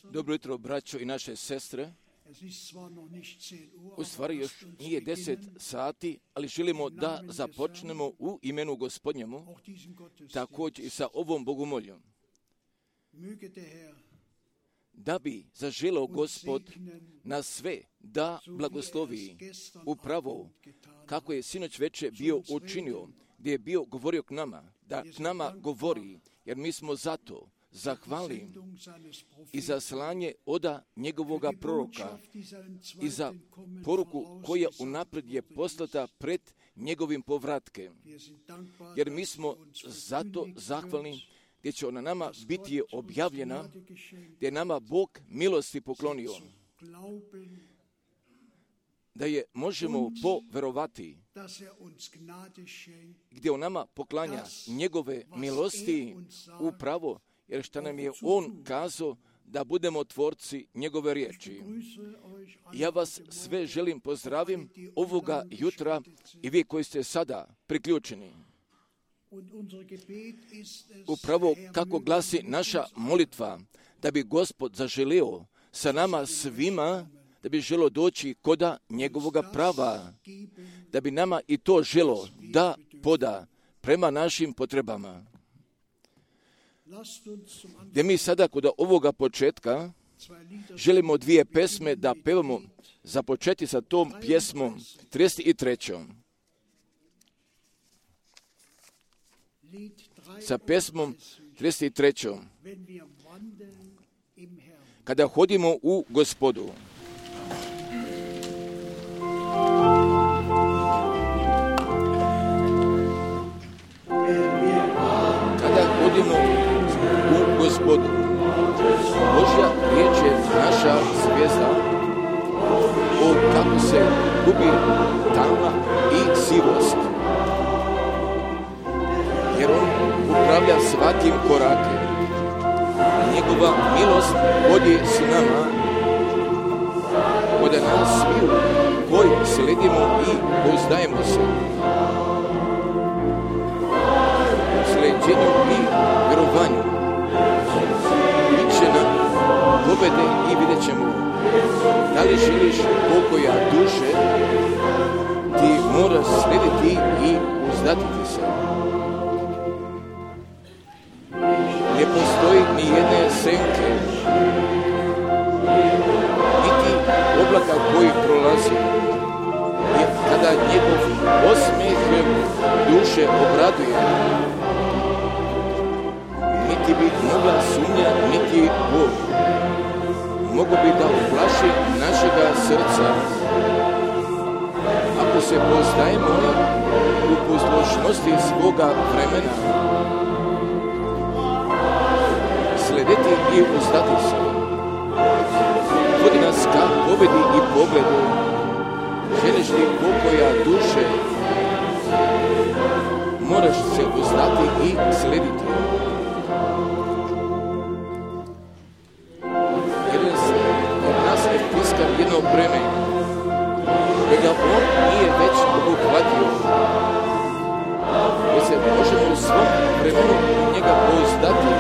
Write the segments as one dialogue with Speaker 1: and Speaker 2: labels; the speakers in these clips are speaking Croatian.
Speaker 1: Dobro jutro, braćo i naše sestre. U stvari još nije 10 sati, ali želimo da započnemo u imenu Gospodnjemu, također i sa ovom bogomoljom. Da bi zaželeo Gospod na sve da blagoslovi upravo kako je sinoć večer bio učinio, gdje je bio govorio k nama, da k nama govori, jer mi smo zato zahvalni i za slanje oda njegovoga proroka i za poruku koja unaprijed je poslata pred njegovim povratkem. Jer mi smo zato zahvalni gdje će ona nama biti objavljena, gdje je nama Bog milosti poklonio, da je možemo poverovati, gdje on nama poklanja njegove milosti upravo, jer što nam je on kazao da budemo tvorci njegove riječi. Ja vas sve želim pozdravim ovoga jutra i vi koji ste sada priključeni. Upravo kako glasi naša molitva, da bi Gospod zaželio sa nama svima, da bi želio doći koda njegovoga prava, da bi nama i to želo da poda prema našim potrebama. Gdje mi sada kod ovoga početka želimo 2 pesme da pevamo, započeti sa tom pjesmom 33. Sa pesmom 33. Kada hodimo u Gospodu. Kada hodimo u Gospodu, Božja riječ je naša zvijezda, o kako se gubi tama i sivost. Jer on upravlja svakim korakem. Njegova milost vodi s nama, od nas sviju koji sledimo i pouzdajemo se. U sleđenju i vjerovanju bit će nam pobjede i vidjet ćemo. Da li želiš pokoja duše, ti moraš slediti i uzdatiti se. Ne postoji ni jedne senke, niti oblaka koji prolazi, jer kada njegov osmijeh duše obraduje, niti bi mogla sumnja, niti Bog mogu bi da uplaši našega srca. Ako se poznajemo u poslušnosti svoga vremena, slediti i uzdati se. Vodi nas ka pobjedi i pogledu. Želiš li pokoja duše, moraš se uzdati i slediti. Jer nas je tiskar jedno breme, kojega on nije već obuhvatio. Mi se možemo u svom vremenu u njega pouzdati.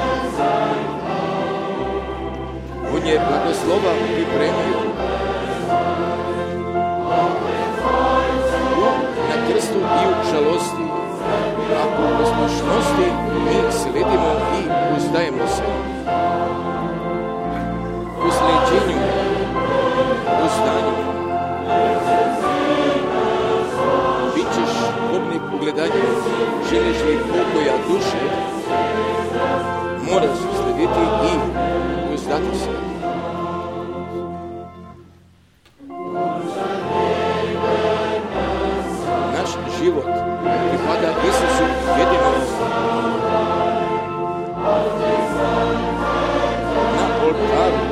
Speaker 1: On je blagoslova pripremio. Na krstu i u žalosti, a u poslušnosti mi sledimo i uzdajemo se. U sleđenju, u stanju, bit ćeš pobnik u gledanju. Želiš li pokoja duše, moraš slediti i uzdati se. Naš život pripada Isusu jedinom. Na oltaru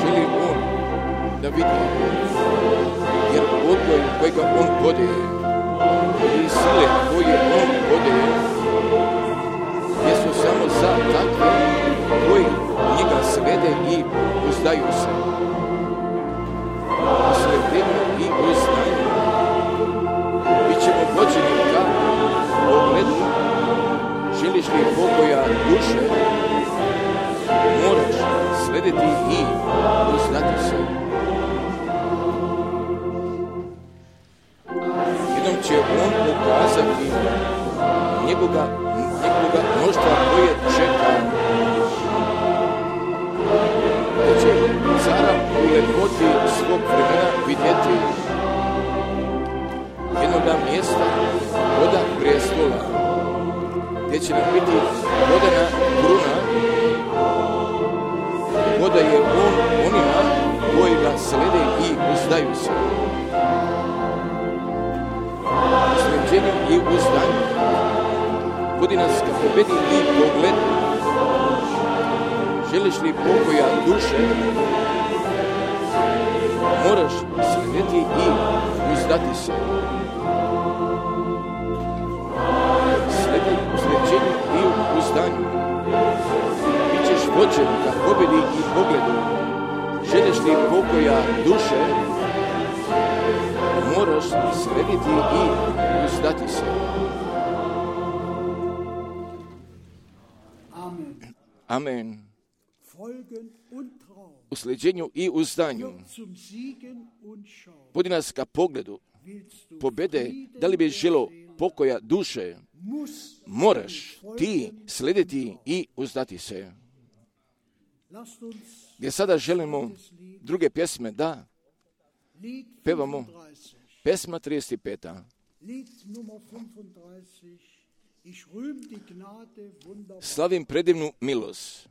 Speaker 1: želi on da vidi, jer odgoj kojega on podaje i sile koje on podaje jesu samo za takve koji njega slede i uzdaju se. Sledenju i uznanju bit ćemo vođeni ka pogledu. Želiš li pokoja duše, slediti i uzdati se. Jednom će on pokazati njegovoga mnoštva koje čeka. Da će cara u lepoti svog vremena vidjeti jednoga mjesta, voda prijestola, gdje će nam biti vodena kruna, voda je on onima koji ga slede i uzdaju se. Sleđenju i uzdanju vodi nas ka pobedi i pogledu. Želiš li pokoja duše, moraš slediti i uzdati se. U sleđenju i u uzdanju bićeš vođen ka pobedi i pogledu. Želiš li pokoja duše, moraš slediti i uzdati se. Amen. U sleđenju i uzdanju vodi nas ka pogledu pobede. Da li bi želo pokoja duše, moraš ti slediti i uzdati se. Gdje sada želimo druge pjesme da pevamo. Pesma 35. Slavim predivnu milost.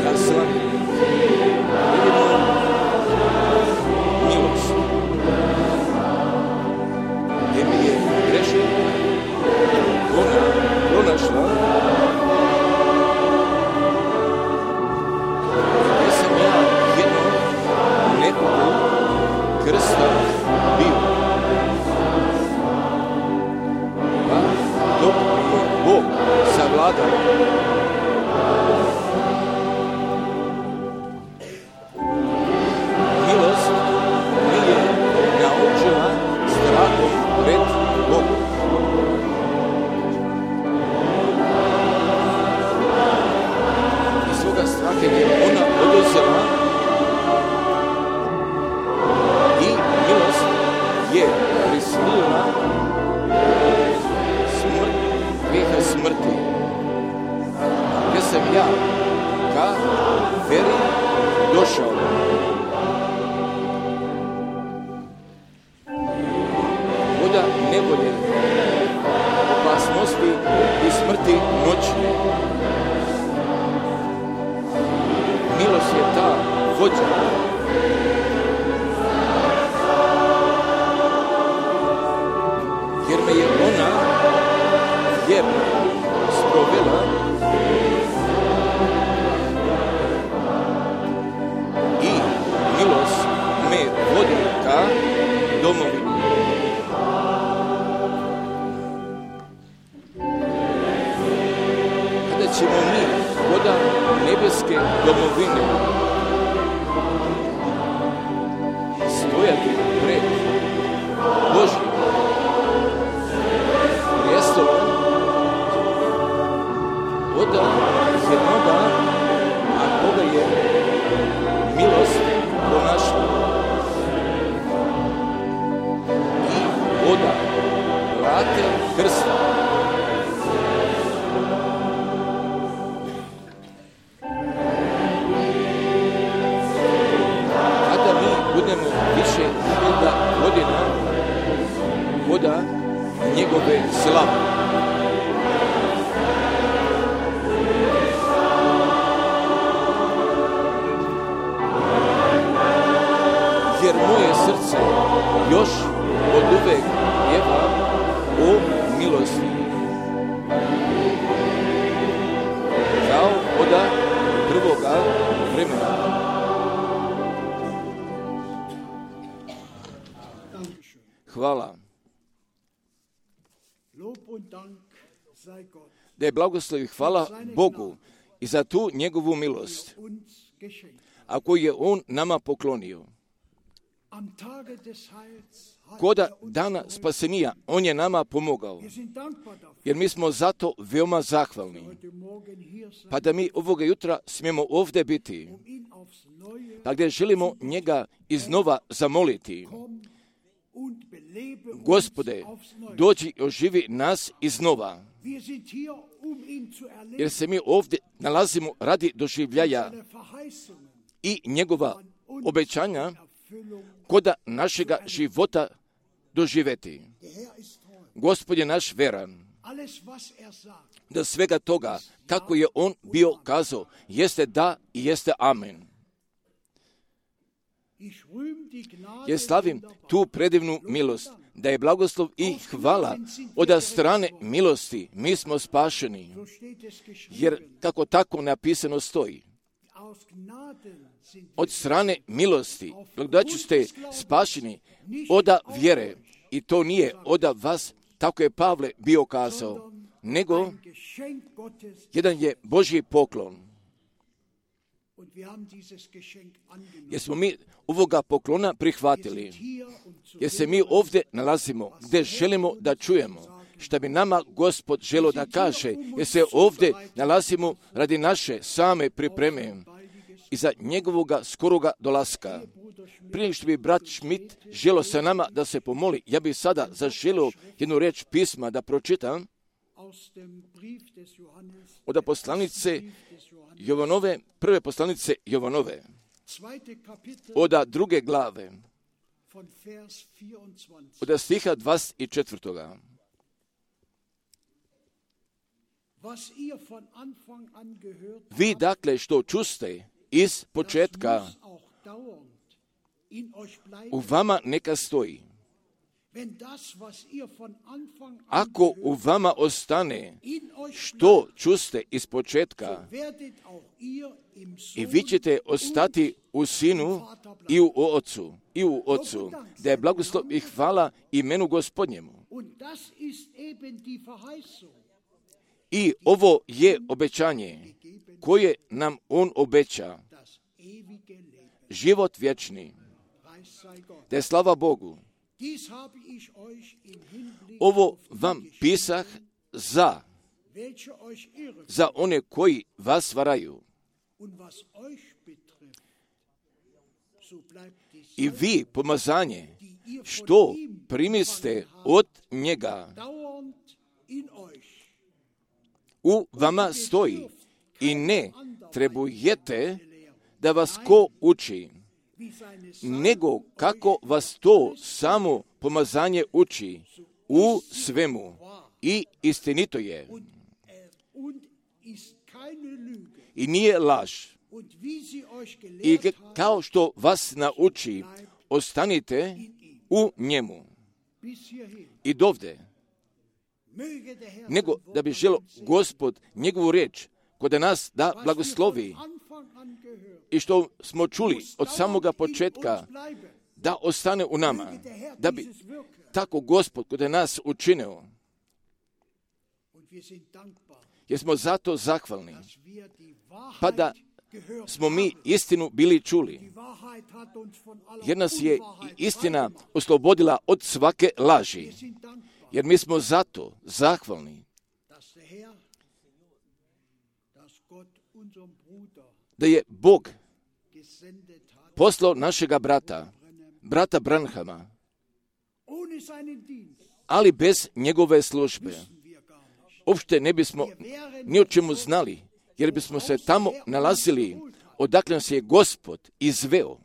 Speaker 1: Ja slavim predivnu milost, gdje mi je grešna ona pronašla, gdje sam ja jednom nekogu krsta bio. Pa dok mi Bog savladao, milost mi je naučila strahom pred Bogom. I svoga straha je ona oduzela i milost je prisilila grijeha smrti. Gdje sam ja ka veri došao. Voda nevolje, opasnosti i smrti noćne. Milost je ta vođa. Jer me je ona vjerno sprovela i milost me vodi ka domovini. Kada ćemo mi voda nebeske domovine stojati pred Božjim prijestolom, voda jednoga, a koga je milost pronašla, i voda vrate krsta. Kada mi budemo više 1000 godina voda njegove slave, jer moje srce još od uvek pjeva o milosti. Kao voda prvoga vremena. Hvala. Da je blagoslov i hvala Bogu i za tu njegovu milost, a koju je on nama poklonio. Koda dana spasenija, on je nama pomogao. Jer mi smo zato veoma zahvalni. Pa da mi ovoga jutra smijemo ovdje biti, pa gdje želimo njega iznova zamoliti. Gospode, dođi i oživi nas iznova. Jer se mi ovdje nalazimo radi doživljaja i njegova obećanja koda našega života doživeti. Gospod je naš veran, da svega toga, kako je on bio kazao, jeste da i jeste amen. Jer slavim tu predivnu milost, da je blagoslov i hvala od strane milosti, mi smo spašeni. Jer kako tako napisano stoji, od strane milosti, blagodaću ste spašeni oda vjere. I to nije oda vas, tako je Pavle bio kazao, nego jedan je Božji poklon. Jer smo mi ovoga poklona prihvatili, jer se mi ovdje nalazimo gdje želimo da čujemo što bi nama Gospod želio da kaže, jer se ovdje nalazimo radi naše same pripreme i za njegovoga skoroga dolaska. Prije što bi brat Schmidt želio sa nama da se pomoli, ja bih sada zaželio jednu riječ pisma da pročitam od poslanice Jovanove, prve poslanice Jovanove, od 2. glave, od stiha 24. Vi dakle što čuste iz početka u vama neka stoji. Ako u vama ostane što čuste iz početka, i vi ćete ostati u Sinu i u Otcu, da je blagoslov i hvala imenu Gospodnjemu. I ovo je obećanje koje nam on obeća, život vječni. Da je slava Bogu. Ovo vam pisah za one koji vas varaju. I vi pomazanje što primiste od njega u vama stoji i ne trebujete da vas ko uči, nego kako vas to samo pomazanje uči u svemu i istinito je i nije laž. I kao što vas nauči, ostanite u njemu i dovde, nego da bi želio Gospod njegovu riječ kod nas da blagoslovi i što smo čuli od samoga početka da ostane u nama, da bi tako Gospod kod nas učinio. Jer smo zato zahvalni, pa da smo mi istinu bili čuli, jer nas je istina oslobodila od svake laži. Jer mi smo zato zahvalni da je Bog poslao našega brata Branhama, ali bez njegove službe uopšte ne bismo ni o čemu znali, jer bismo se tamo nalazili odakle nas je Gospod izveo.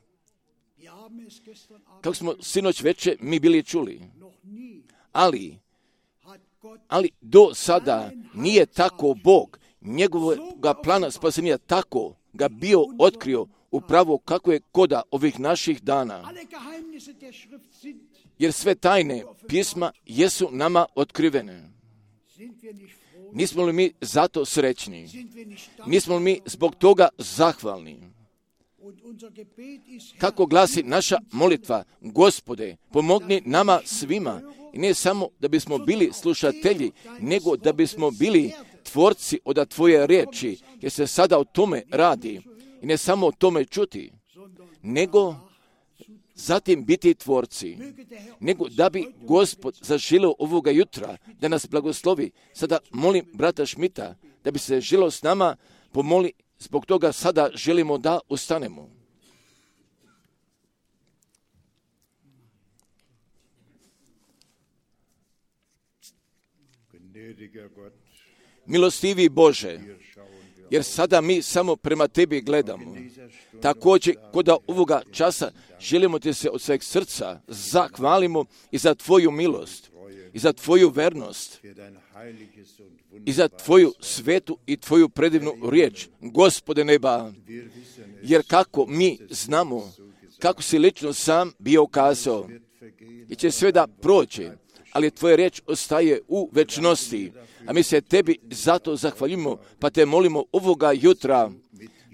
Speaker 1: Kako smo sinoć večer mi bili čuli, ali do sada nije tako Bog njegovoga plana spasenja tako ga bio otkrio upravo kako je koda ovih naših dana. Jer sve tajne pisma jesu nama otkrivene. Nismo li mi zato srećni? Nismo li mi zbog toga zahvalni? Kako glasi naša molitva, Gospode, pomogni nama svima, i ne samo da bismo bili slušatelji, nego da bismo bili tvorci od tvoje riječi, jer se sada o tome radi. I ne samo o tome čuti, nego zatim biti tvorci, nego da bi Gospod zaželio ovoga jutra da nas blagoslovi. Sada molim brata Šmita da bi se želio s nama pomoli, zbog toga sada želimo da ustanemo. Milostivi Bože, jer sada mi samo prema Tebi gledamo. Također, kod ovoga časa želimo Ti se od sveg srca zahvalimo i za Tvoju milost, i za Tvoju vernost, i za Tvoju svetu i Tvoju predivnu riječ, Gospode neba, jer kako mi znamo, kako si lično sam bio kazao, i će sve da prođe, ali Tvoja riječ ostaje u večnosti, a mi se Tebi zato zahvaljujemo, pa Te molimo ovoga jutra,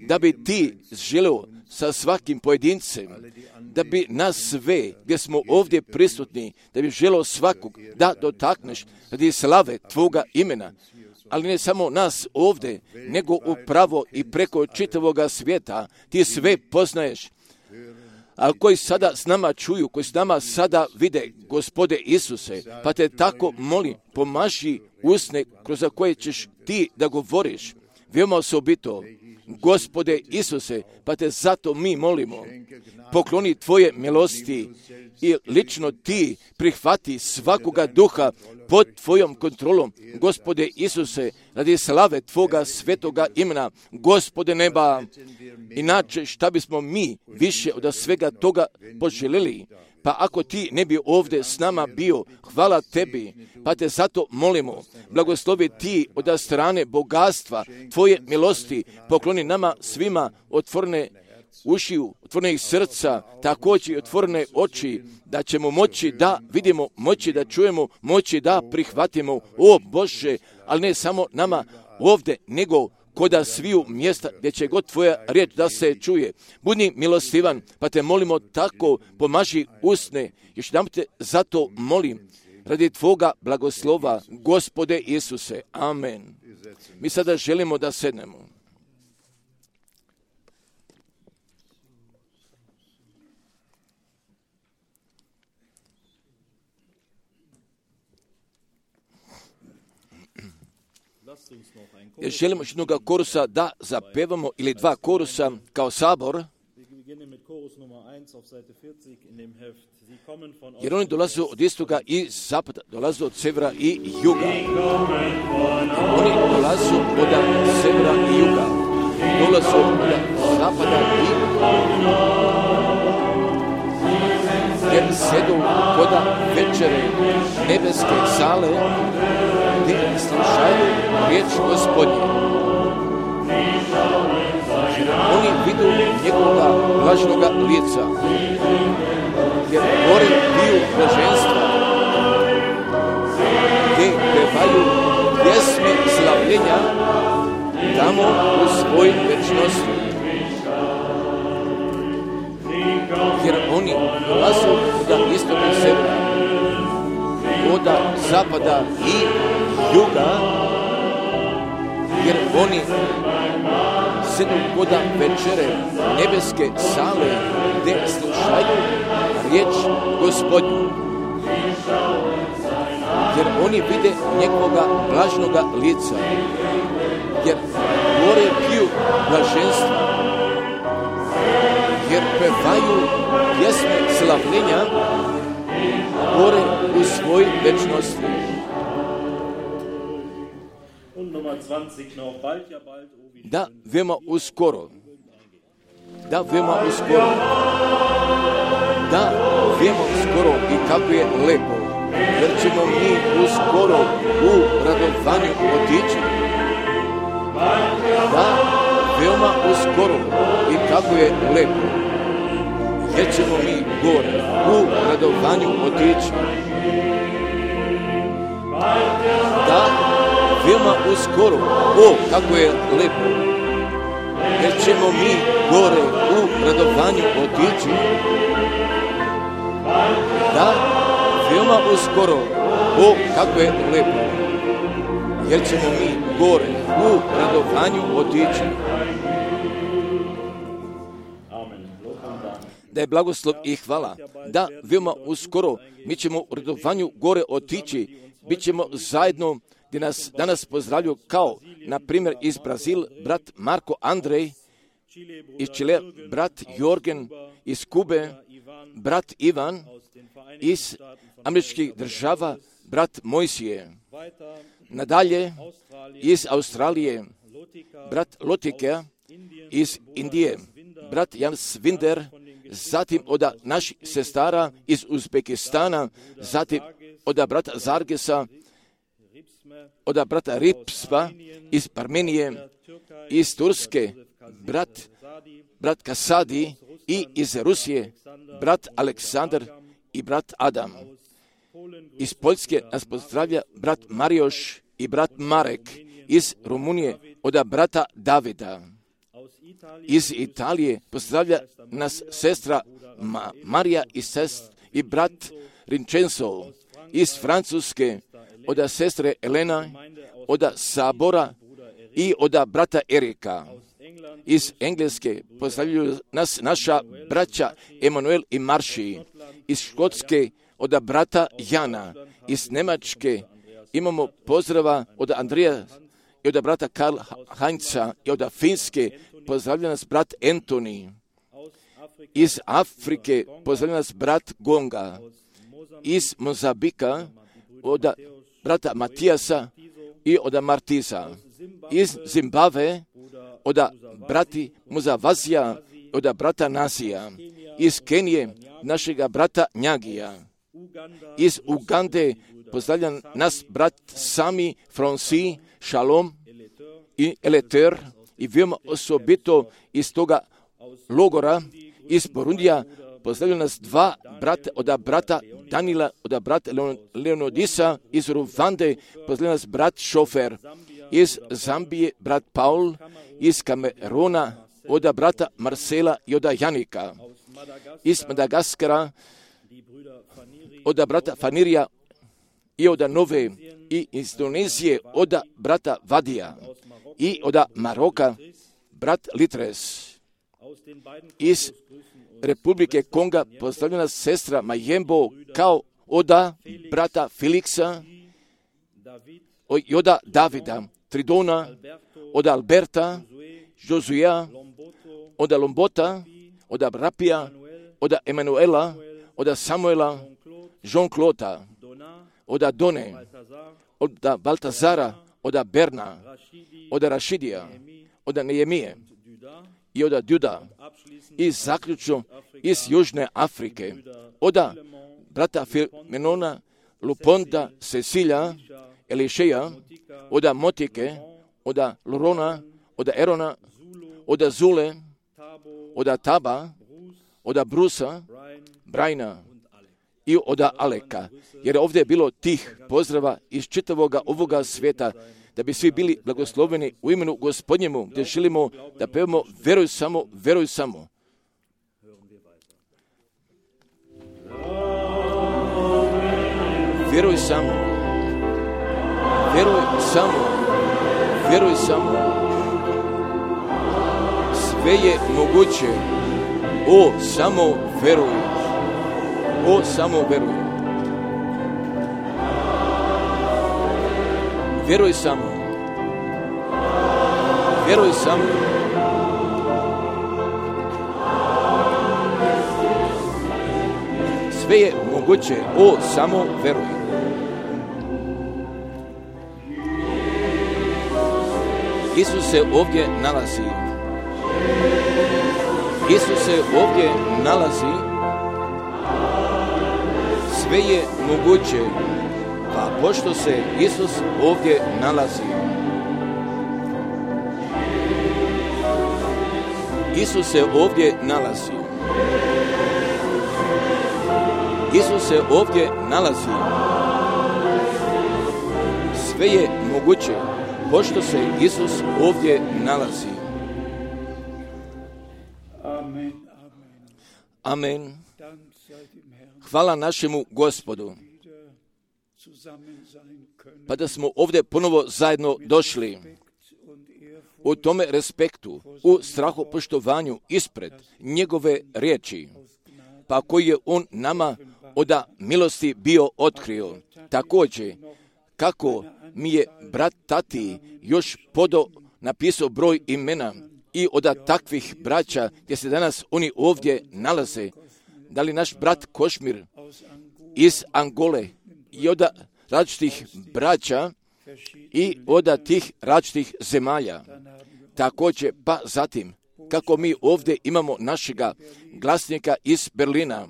Speaker 1: da bi Ti želio sa svakim pojedincem, da bi nas sve, gdje smo ovdje prisutni, da bi želio svakog da dotakneš radi slave Tvoga imena, ali ne samo nas ovdje, nego upravo i preko čitavoga svijeta. Ti sve poznaješ, a koji sada s nama čuju, koji s nama sada vide, Gospode Isuse, pa Te tako molim, pomaži usne kroz koje ćeš Ti da govoriš, veoma osobito, Gospode Isuse, pa Te zato mi molimo, pokloni Tvoje milosti i lično Ti prihvati svakoga duha pod Tvojom kontrolom, Gospode Isuse, radi slave Tvoga svetoga imena, Gospode neba. Inače, šta bismo mi više od svega toga poželjeli? Pa ako Ti ne bi ovdje s nama bio, hvala Tebi, pa Te zato molimo, blagoslovi Ti od strane bogatstva Tvoje milosti, pokloni nama svima otvorene ušiju, otvorenih srca, također i otvorene oči, da ćemo moći da vidimo, moći da čujemo, moći da prihvatimo, o Bože, ali ne samo nama ovdje, nego koda sviju mjesta gdje će god Tvoja riječ da se čuje. Budi milostivan, pa Te molimo tako, pomaži usne. Još jedan Te zato molim, radi Tvoga blagoslova, Gospode Isuse. Amen. Mi sada želimo da sednemo. Želimo jednog korusa da zapevamo ili dva korusa kao sabor, jer oni dolaze od istoga i zapada, dolaze od severa i juga. Oni dolaze od severa i juga, dolaze od zapada i jer sjedu koda večere nebeske sale gdje slušaju riječ Gospodnje. Oni vidu njegovoga blažnoga lica, jer gore piju blaženstva, gdje pevaju pjesme slavljenja tamo u svoj večnosti. Jer oni dolaze od istoga i severa, od zapada i juga, jer oni sedu koda večere nebeske sale gdje slušaju riječ Gospodnju. Jer oni vide njegovoga blažnoga lica, jer gore piju blaženstva, jer pevaju pjesme slavljenja gore u svoj večnosti. Da, veoma uskoro. Da, veoma uskoro. Da, veoma uskoro i kako je lepo. Jer ćemo mi uskoro u radovanju otići. Da, veoma uskoro i kako je lepo. Jer ćemo mi gore u radovanju otići. Da, veoma uskoro, o kako je lepo, jer ćemo mi gore u radovanju otići. Da, veoma uskoro, o kako je lepo, jer ćemo mi gore u radovanju otići. da je blagoslov i hvala, da veoma uskoro mi ćemo u radovanju gore otići, bit ćemo zajedno gdje nas danas pozdravljaju kao, na primjer, iz Brazil, brat Marko Andrej, iz Čile, brat Jorgen, iz Kube, brat Ivan, iz američkih država, brat Mojsije. Nadalje, iz Australije, brat Lotikea, iz Indije, brat Jan Svinder, zatim od naših sestara iz Uzbekistana, zatim od brata Zargesa, od brata Ripsva iz Armenije, iz Turske, brat Kasadi i iz Rusije, brat Aleksandar i brat Adam. Iz Poljske nas pozdravlja brat Marioš i brat Marek, iz Rumunije od brata Davida. Iz Italije pozdravlja nas sestra Marija i brat Vincenzo. Iz Francuske od sestre Elena, od Sabora i od brata Erika. Iz Engleske pozdravljaju nas naša braća Emanuel i Marši. Iz Škotske od brata Jana. Iz Njemačke imamo pozdrava od Andrija i od brata Karl Heinza i od Finske pozdravlja nas brat Antoni. Iz Afrike pozdravlja nas brat Gonga. Iz Mozambika od brata Matijasa i od Martiza. Iz Zimbabve od brati Muzavazija i od brata Nasija. Iz Kenije našega brata Njagija. Iz Ugande pozdravlja nas brat Sami Franci, Shalom i Eleter i veoma osobito iz toga logora iz Burundija pozdravlja nas dva brata od brata Danila, od brata Leonidisa, iz Ruvande pozdravlja nas brat Šofer, iz Zambije brat Paul, iz Kameruna od brata Marcela i od Janika, iz Madagaskara od brata Fanirija i od Nove i iz Indonezije od brata Vadija i od Maroka brat Litres. Iz Republike Konga pozdravlja nas sestra Majembo kao od brata Feliksa i od Davida, Tridona, od Alberta, Josuea, od Lombota, od Rapija, od Emanuela, od Samuela, Jean-Claude, od Done, od Baltazara, od Berna, od Rašidija, od Nehemije i od Duda. I zaključno iz Južne Afrike, od brata Filmenona, Luponda, Cecilija, Elišeja, od Motike, od Lorona, od Erona, od Zule, od Taba, od Brusa, Brajna i od Aleka. Jer ovdje je bilo tih pozdrava iz čitavoga ovoga svijeta, da bi svi bili blagosloveni u imenu Gospodnjemu, gdje želimo da pevamo veruj samo, veruj samo. Vjeruj samo, vjeruj samo, vjeruj samo. Sve je moguće. O, samo veruj. O, samo veruj. Vjeruj samo. Vjeruj samo. Sve je moguće. O, samo veruj. Isus se ovdje nalazi. Isus se ovdje nalazi. Sve je moguće. Pa pošto se Isus ovdje nalazi. Isus se ovdje nalazi. Isus se ovdje nalazi. Sve je moguće. Pošto se Isus ovdje nalazi. Amen. Hvala našemu Gospodu. Pa da smo ovdje ponovo zajedno došli. U tome respektu, u strahopoštovanju ispred njegove riječi, pa koji je on nama od milosti bio otkrio. Također, kako mi je brat Tati još napisao broj imena i od takvih braća gdje se danas oni ovdje nalaze, da li naš brat Košmir iz Angole i od različitih braća i od tih različitih zemalja. Također, pa zatim, kako mi ovdje imamo našega glasnika iz Berlina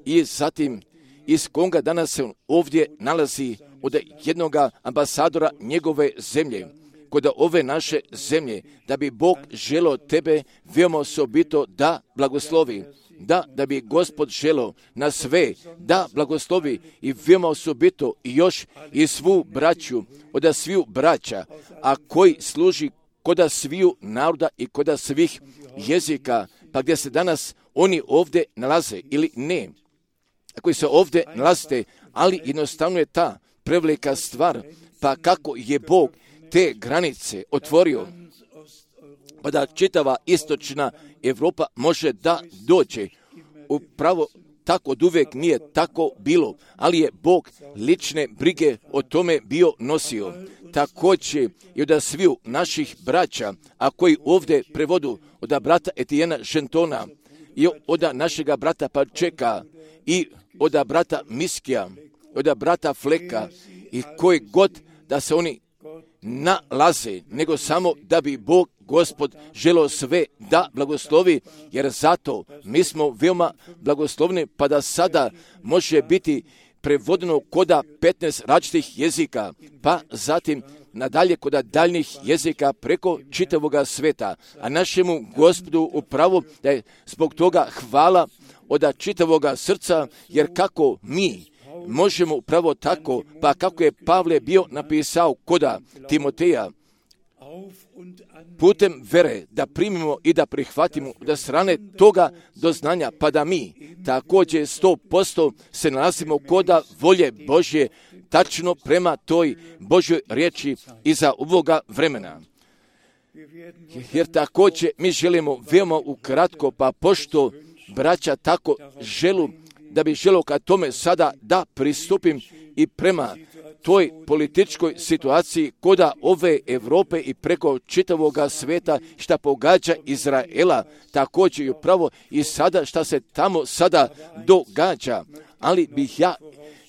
Speaker 1: i zatim iz Konga danas se ovdje nalazi od jednog ambasadora njegove zemlje, kod ove naše zemlje, da bi Bog želio tebe veoma osobito da blagoslovi, da bi Gospod želio na sve da blagoslovi i veoma osobito i još i svu braću, od sviju braća, a koji služi kod sviju naroda i kod svih jezika, pa gdje se danas oni ovdje nalaze ili ne, koji se ovdje nalazite, ali jednostavno je ta prevelika stvar, pa kako je Bog te granice otvorio, pa da čitava istočna Europa može da dođe. Upravo tako od uvijek nije tako bilo, ali je Bog lične brige o tome bio nosio. Također i od sviju naših braća, a koji ovdje prevodu od brata Etijena Žentona i od našega brata Pačeka i od brata Miskija, od brata Fleka i koji god da se oni nalaze, nego samo da bi Bog Gospod želio sve da blagoslovi, jer zato mi smo veoma blagoslovni, pa da sada može biti prevodeno koda 15 različitih jezika, pa zatim nadalje koda daljnih jezika preko čitavoga sveta. A našemu Gospodu upravo da je zbog toga hvala od čitavoga srca, jer kako mi možemo upravo tako, pa kako je Pavle bio napisao koda Timoteja, putem vere da primimo i da prihvatimo da strane toga doznanja, pa da mi također 100% se nalazimo koda volje Božje, tačno prema toj Božjoj riječi iza ovoga vremena. Jer također mi želimo veoma ukratko, pa pošto braća tako želu, da bi želio ka tome sada da pristupim i prema toj političkoj situaciji koda ove Europe i preko čitavoga sveta šta pogađa Izraela, također i upravo i sada šta se tamo sada događa. Ali bih ja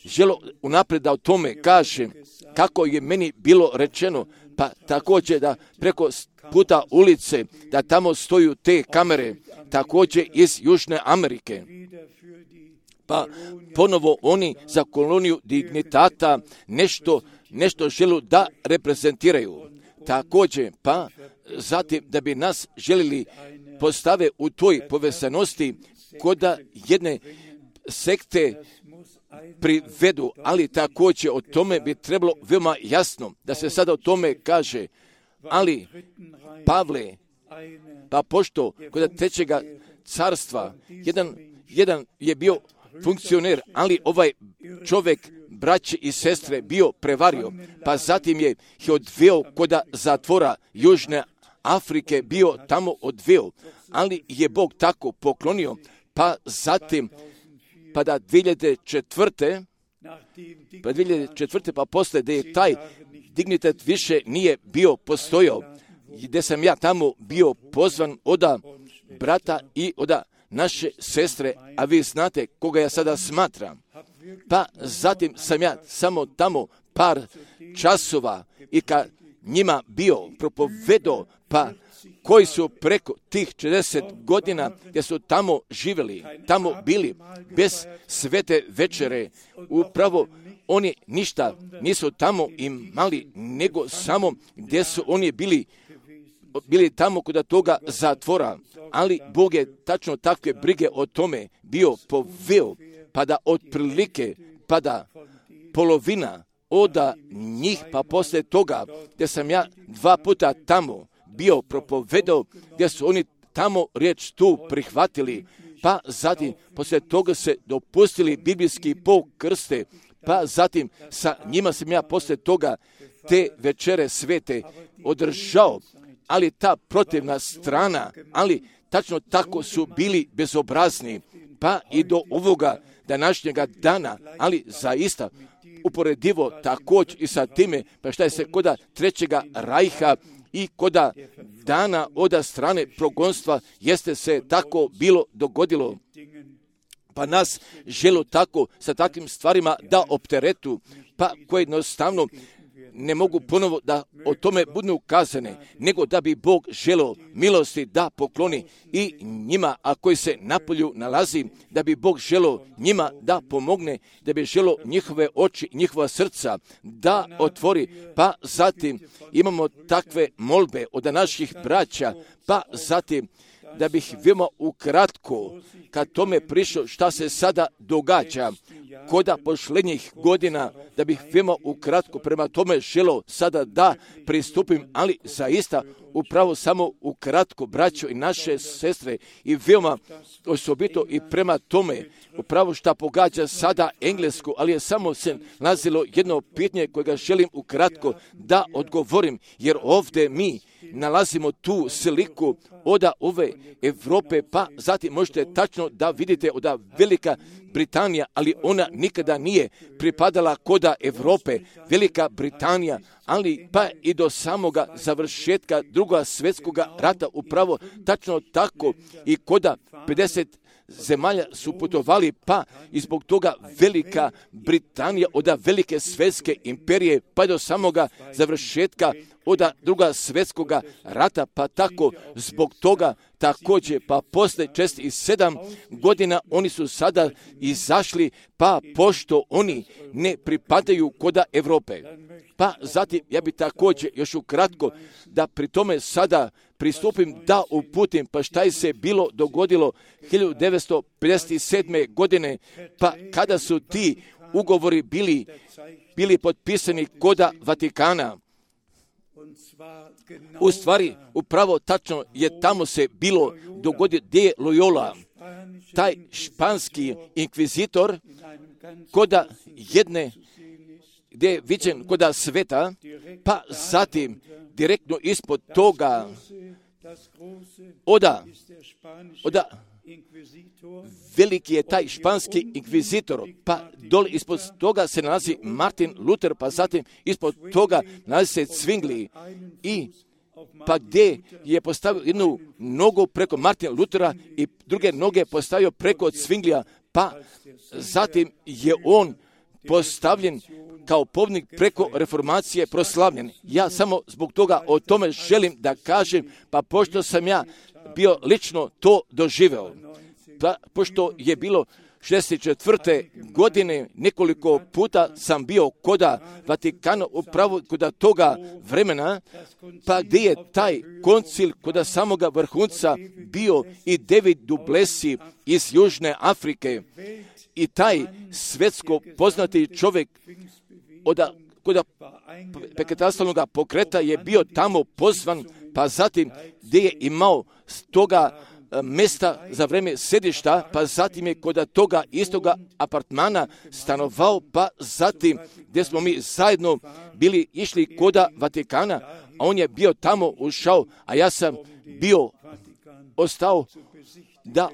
Speaker 1: želio unaprijed da o tome kažem kako je meni bilo rečeno, pa također da preko puta ulice da tamo stoju te kamere, također iz Južne Amerike. Pa ponovo oni za koloniju dignitata nešto žele da reprezentiraju. Također, pa zatim da bi nas želili postave u toj povezanosti koda jedne sekte privedu, ali također o tome bi trebalo veoma jasno da se sada o tome kaže, ali Pavle, pa pošto kod trećega carstva jedan je bio funkcioner, ali ovaj čovjek, braće i sestre, bio prevario, pa zatim je odveo kod zatvora Južne Afrike, bio tamo odveo, ali je Bog tako poklonio, pa zatim, pa da 2004. pa poslije da je taj dignitet više nije bio postojao, gdje sam ja tamo bio pozvan od brata i od naše sestre, a vi znate koga ja sada smatram. Pa zatim sam ja samo tamo par časova i kad njima bio propovedao, pa koji su preko tih 40 godina gdje su tamo živjeli, tamo bili bez svete večere, upravo oni ništa nisu tamo imali, nego samo gdje su oni bili tamo kod toga zatvora, ali Bog je tačno takve brige o tome bio poveo, pa da otprilike, pa da polovina od njih, pa poslije toga gdje sam ja 2 puta tamo bio propovedao, gdje su oni tamo riječ tu prihvatili, pa zatim poslije toga se dopustili biblijski pokrste, pa zatim sa njima sam ja poslije toga te večere svete održao, ali ta protivna strana, ali tačno tako su bili bezobrazni, pa i do ovoga današnjega dana, ali zaista uporedivo također i sa time, pa šta je se koda Trećega rajha i koda dana od strane progonstva jeste se tako bilo dogodilo. Pa nas želo tako sa takvim stvarima da opteretu, pa koje jednostavno ne mogu ponovo da o tome budu ukazane, nego da bi Bog želeo milosti da pokloni i njima, a koji se napolju nalazi, da bi Bog želeo njima da pomogne, da bi želeo njihove oči, njihova srca da otvori. Pa zatim imamo takve molbe od naših braća, pa zatim da bih veoma ukratko kad tome prišao šta se sada događa koda posljednjih godina, da bih veoma ukratko prema tome želeo sada da pristupim, ali zaista upravo samo ukratko, braćo i naše sestre, i veoma osobito i prema tome upravo šta pogađa sada Englesku, ali je samo se nalazilo jedno pitanje kojega želim ukratko da odgovorim, jer ovdje mi nalazimo tu sliku od ove Europe, pa zatim možete tačno da vidite od Velika Britanija, ali ona nikada nije pripadala koda Europe, Velika Britanija, ali pa i do samoga završetka Drugog svjetskog rata upravo tačno tako i koda 50 zemalja su putovali, pa i zbog toga Velika Britanija od velike svjetske imperije pa do samoga završetka od Drugog svjetskog rata, pa tako zbog toga također, pa posle 7 godina oni su sada izašli, pa pošto oni ne pripadaju koda Europe. Pa zatim ja bi također još ukratko da pri tome sada pristupim da uputim, pa šta je se bilo dogodilo 1957. godine, pa kada su ti ugovori bili potpisani koda Vatikana. U stvari, upravo tačno je tamo se bilo dogodilo gdje je Loyola, taj španski inkvizitor, koda jedne, gdje je viđen koda sveta, pa zatim direktno ispod toga oda veliki je taj španski inkvizitor, pa dole ispod toga se nalazi Martin Luther, pa zatim ispod toga nalazi se Zwingli, i pa gdje je postavio jednu nogu preko Martina Luthera i druge noge postavio preko Zwinglija, pa zatim je on postavljen kao povnik preko reformacije proslavljen. Ja samo zbog toga o tome želim da kažem, pa pošto sam ja bio lično to doživeo, pa pošto je bilo 64. godine nekoliko puta sam bio koda Vatikana, upravo koda toga vremena, pa gdje je taj koncil koda samoga vrhunca bio i David du Plessis iz Južne Afrike, i taj svjetsko poznati čovjek koda Pentecostalnog pokreta je bio tamo pozvan, pa zatim gdje je imao toga mjesta za vrijeme sedišta, pa zatim je kod toga istoga apartmana stanovao, pa zatim gdje smo mi zajedno bili išli koda Vatikana, a on je bio tamo ušao, a ja sam bio ostao da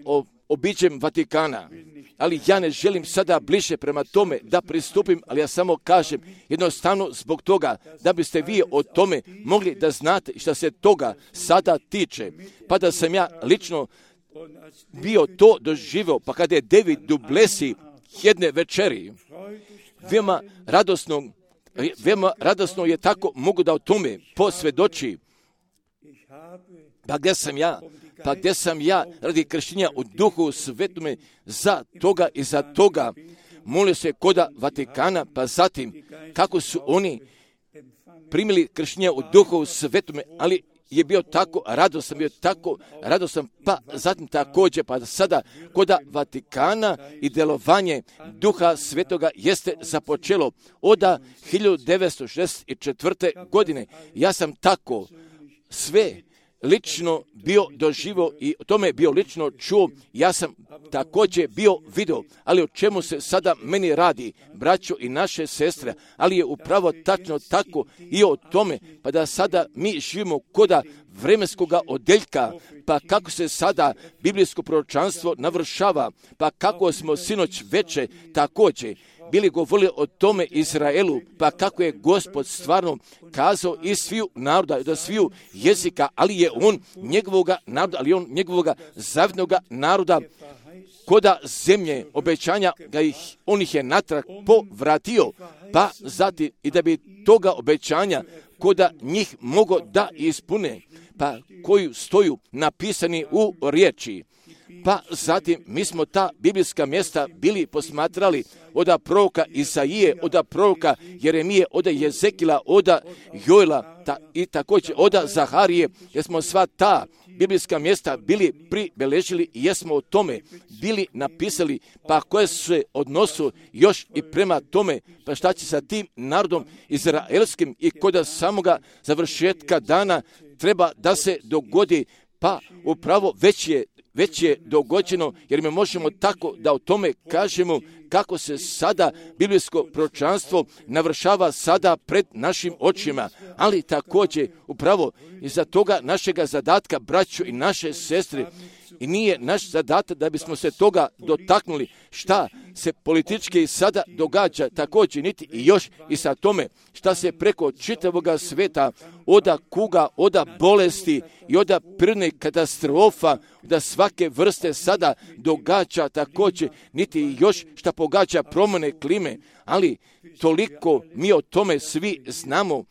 Speaker 1: obiđem Vatikana. Ali ja ne želim sada bliže prema tome da pristupim, ali ja samo kažem jednostavno zbog toga da biste vi o tome mogli da znate šta se toga sada tiče. Pa da sam ja lično bio to doživio, pa kada je David du Plessis jedne večeri, veoma radosno je tako mogu da o tome posvjedoči. Pa gdje sam ja radi krštenja u Duhu Svetome za toga i za toga molio se koda Vatikana, pa zatim kako su oni primili krštenja u Duhu Svetome, ali je bio tako radosan, pa zatim također, pa sada koda Vatikana i djelovanje Duha Svetoga jeste započelo od 1964. godine. Ja sam tako sve lično bio doživo i o tome bio lično čuo, ja sam također bio vidio, ali o čemu se sada meni radi, braćo i naše sestre, ali je upravo tačno tako i o tome, pa da sada mi živimo koda vremenskoga odeljka, pa kako se sada biblijsko proročanstvo navršava, pa kako smo sinoć veče također bili govorili o tome Izraelu, pa kako je Gospod stvarno kazao iz sviju naroda, da sviju jezika, ali je on njegovoga naroda, ali on njegovoga zavidnoga naroda, koda zemlje obećanja, on ih je natrag povratio, pa zatim i da bi toga obećanja koda njih mogo da ispune, pa koju stoju napisani u riječi. Pa zatim mi smo ta biblijska mjesta bili posmatrali od proroka Isaije, od proroka Jeremije, od Jezekila, od Joela i također od Zaharije, jer smo sva ta biblijska mjesta bili pribeležili i jesmo o tome bili napisali, pa koje su se odnosu još i prema tome, pa šta će sa tim narodom izraelskim i kod samoga završetka dana treba da se dogodi, pa upravo već je dogođeno, jer mi možemo tako da o tome kažemo kako se sada biblijsko proročanstvo navršava sada pred našim očima, ali također upravo iza toga našega zadatka, braćo i naše sestre, i nije naš zadatak da bismo se toga dotaknuli šta se politički sada događa, također niti i još i sa tome šta se preko čitavoga sveta oda kuga, oda bolesti i oda prirodnih katastrofa, da svake vrste sada događa također, niti i još šta pogađa promjene klime, ali toliko mi o tome svi znamo,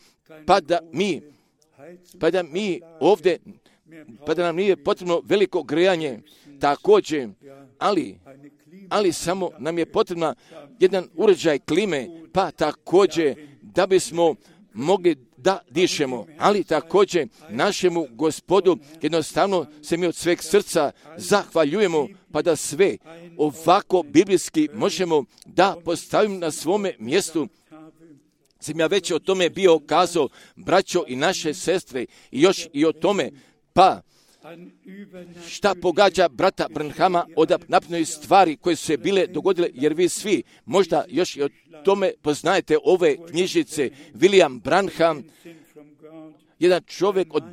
Speaker 1: pa da mi ovdje, pa da nam nije potrebno veliko grejanje, također, ali samo nam je potrebna jedan uređaj klime, pa također da bismo mogli da dišemo, ali također našemu Gospodu jednostavno se mi od sveg srca zahvaljujemo, pa da sve ovako biblijski možemo da postavimo na svome mjestu. Sam ja već o tome bio kazao, braćo i naše sestre, i još i o tome, pa šta pogađa brata Branhama od naprednih stvari koje su se bile dogodile, jer vi svi možda još i o tome poznajete ove knjižice. William Branham, jedan čovjek od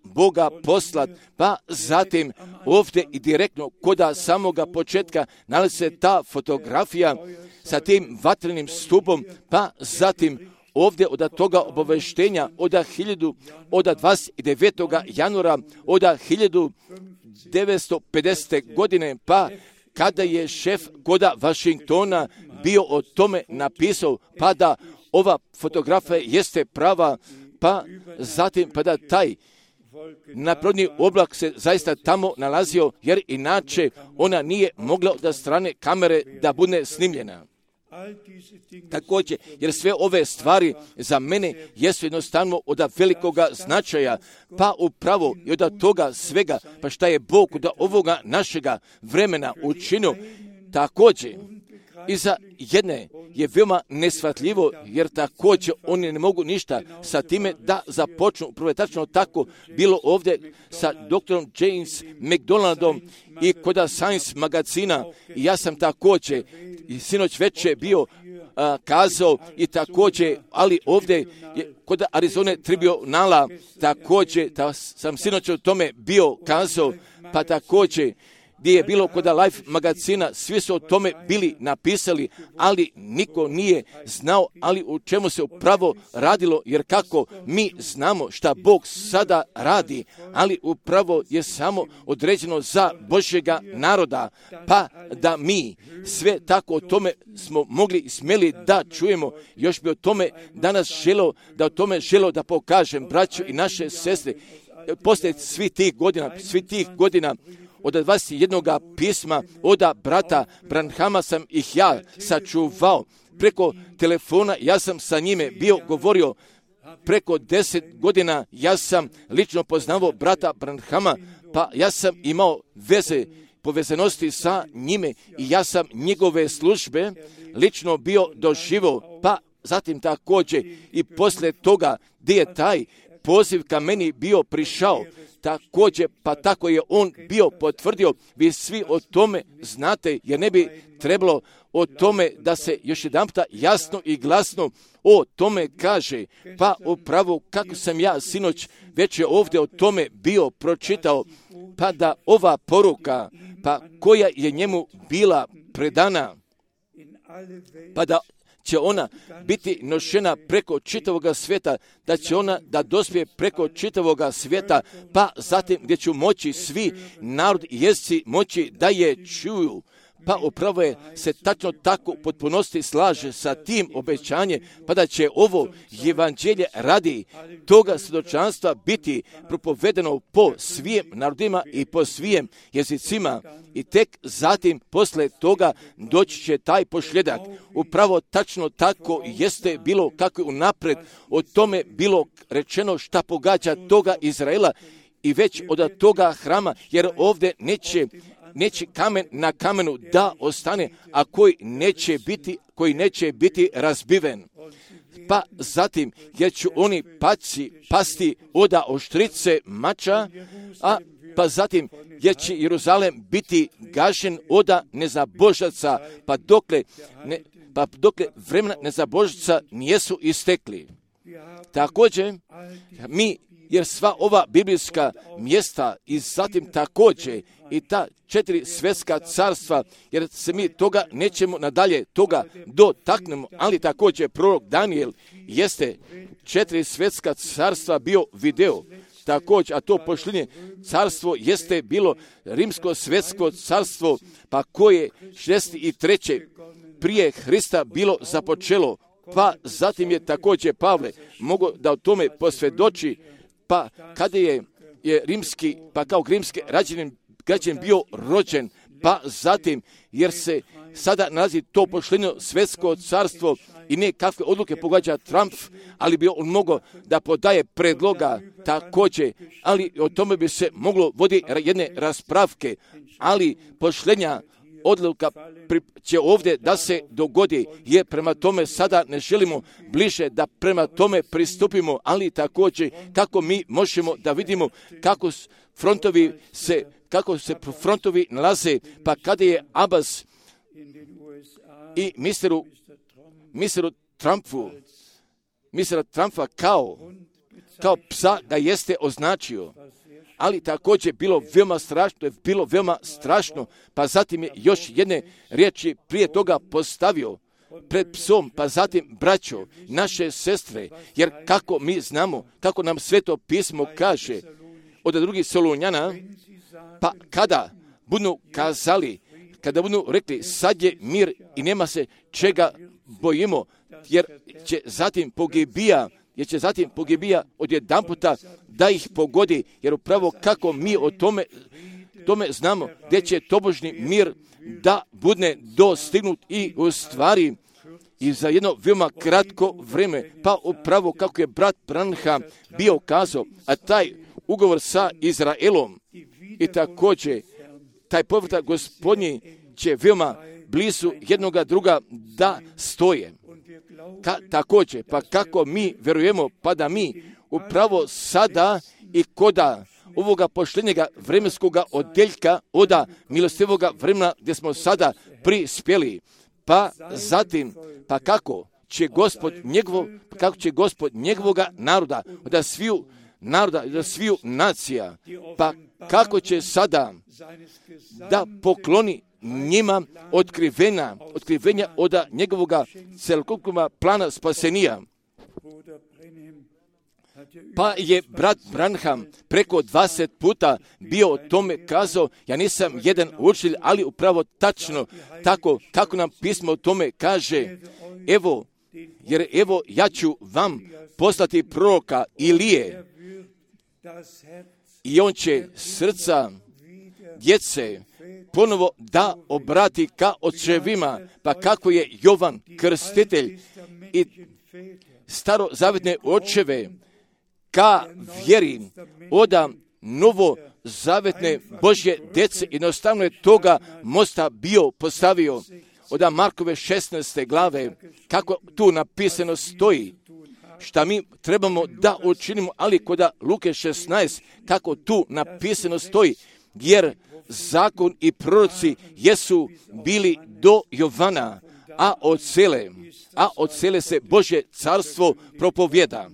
Speaker 1: Boga poslat, pa zatim ovdje i direktno koda samoga početka nalazi se ta fotografija sa tim vatrenim stupom, pa zatim ovdje od toga obaveštenja od 29. januara od 1950. godine, pa kada je šef koda Washingtona bio o tome napisao, pa da ova fotografija jeste prava, pa zatim pa da taj naprodni oblak se zaista tamo nalazio, jer inače ona nije mogla od strane kamere da bude snimljena. Također, jer sve ove stvari za mene jesu jednostavno od velikoga značaja, pa upravo i od toga svega, pa šta je Bog od ovoga našega vremena učinio, također i za jedne je veoma neshvatljivo, jer također oni ne mogu ništa sa time da započnu. Upravo je tačno tako bilo ovdje sa doktorom James McDonaldom i kod Science magazina, i ja sam također i sinoć večer bio kazao i također, ali ovdje je kod Arizone Tribunala također sam sinoć o tome bio kazao, pa također gdje je bilo kod Life magazina, svi su o tome bili napisali, ali niko nije znao, ali u čemu se upravo radilo, jer kako mi znamo šta Bog sada radi, ali upravo je samo određeno za Božjega naroda, pa da mi sve tako o tome smo mogli i smjeli da čujemo. Još bi o tome danas želeo da pokažem, braćo i naše sestre, poslije svih tih godina, od 21. pisma od brata Branhama sam ih ja sačuvao. Preko telefona ja sam sa njime bio govorio. Preko 10 godina ja sam lično poznavao brata Branhama, pa ja sam imao povezanosti sa njime i ja sam njegove službe lično bio doživio, pa zatim također i poslije toga gdje je taj poziv ka meni bio prišao, također, pa tako je on bio potvrdio. Vi svi o tome znate, jer ne bi trebalo o tome da se još jedanputa jasno i glasno o tome kaže. Pa upravo kako sam ja sinoć već je ovdje o tome bio pročitao, pa da ova poruka, pa koja je njemu bila predana, pa da će ona biti nošena preko čitavoga svijeta, da će ona da dospije preko čitavoga svijeta, pa zatim gdje će moći svi narod i jezici moći da je čuju. Pa upravo je se tačno tako potpunosti slaže sa tim obećanjem, pa da će ovo evanđelje radi toga svjedočanstva biti propovedeno po svim narodima i po svim jezicima. I tek zatim posle toga doći će taj pošljedak. Upravo tačno tako jeste bilo kako je unapred o tome bilo rečeno šta pogađa toga Izraela i već od toga hrama, jer ovdje neće kamen na kamenu da ostane, a koji neće biti razbiven. Pa zatim, jer će oni pasti od oštrice mača, pa zatim, jer će Jeruzalem biti gašen od nezabožaca, pa dokle vremena nezabožaca nijesu istekli. Također, jer sva ova biblijska mjesta i zatim također i ta 4 svjetska carstva, jer se mi toga nećemo nadalje toga dotaknemo, ali također prorok Daniel jeste 4 svjetska carstva bio video. Također, a to pošljenje carstvo jeste bilo rimsko svjetsko carstvo, pa koje 63. prije Hrista bilo započelo, pa zatim je također Pavle mogao da o tome posvjedoči, pa kada je rimski, pa kao rimski građanin bio rođen, pa zatim, jer se sada nalazi to poštenjeno svjetsko carstvo i ne kakve odluke pogađa Trump, ali bi on mogao da podaje predloga također, ali o tome bi se moglo voditi jedne raspravke, ali poštenja odluka će ovdje da se dogodi, jer prema tome sada ne želimo bliže da prema tome pristupimo, ali također kako mi možemo da vidimo kako se frontovi nalaze, pa kada je Abbas i misteru Trumpa kao psa ga jeste označio, ali također bilo veoma strašno, pa zatim je još jedne riječi prije toga postavio pred psom, pa zatim braćo, naše sestre, jer kako mi znamo, kako nam Sveto pismo kaže od 2. Solunjana, pa kada budu kazali, kada budu rekli sad je mir i nema se čega bojimo, jer će zatim pogibija odjedanputa da ih pogodi, jer upravo kako mi o tome znamo, gdje će tobožni mir da bude dostignut i u stvari i za jedno veoma kratko vrijeme, pa upravo kako je brat Branham bio kazao, a taj ugovor sa Izraelom i također taj povratak Gospodnji će veoma blizu jednoga druga da stoje. Također, pa kako mi vjerujemo, pa da mi upravo sada i koda ovoga poštenjega vremenskoga odjeljka od milostivoga vremena gdje smo sada prispjeli, pa zatim, pa kako će Gospod njegovoga naroda, od sviju naroda, od sviju nacija, pa kako će sada da pokloni njima otkrivenja od njegovoga celokupnog plana spasenija. Pa je brat Branham preko 20 puta bio o tome kazao, ja nisam jedan učitelj, ali upravo tačno tako kako nam pismo o tome kaže, jer ja ću vam poslati proroka Ilije i on će srca djece ponovo da obrati ka očevima, pa kako je Jovan Krstitelj i starozavjetne očeve ka vjeri od novozavetne Božje djece, jednostavno je toga mosta bio postavio od Markove 16. glave, kako tu napisano stoji, šta mi trebamo da učinimo, ali kod Luke 16, kako tu napisano stoji, jer zakon i proroci jesu bili do Jovana, a od cele se Božje carstvo propovjeda.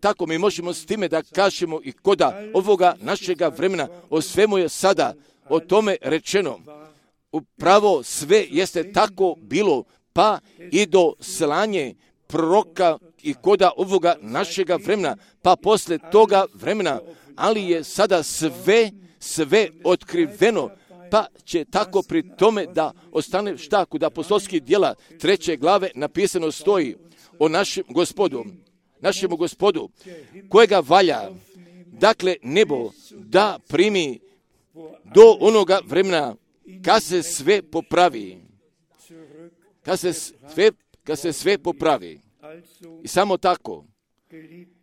Speaker 1: Tako mi možemo s time da kažemo i koda ovoga našega vremena, o svemu je sada o tome rečeno. Upravo sve jeste tako bilo, pa i do slanje proroka i koda ovoga našega vremena, pa posle toga vremena, ali je sada sve otkriveno, pa će tako pri tome da ostane šta kod apostolskih djela 3. glave napisano stoji o našemu gospodu, kojega valja, dakle, nebo da primi do onoga vremena kad se sve popravi. Kad se sve popravi. I samo tako.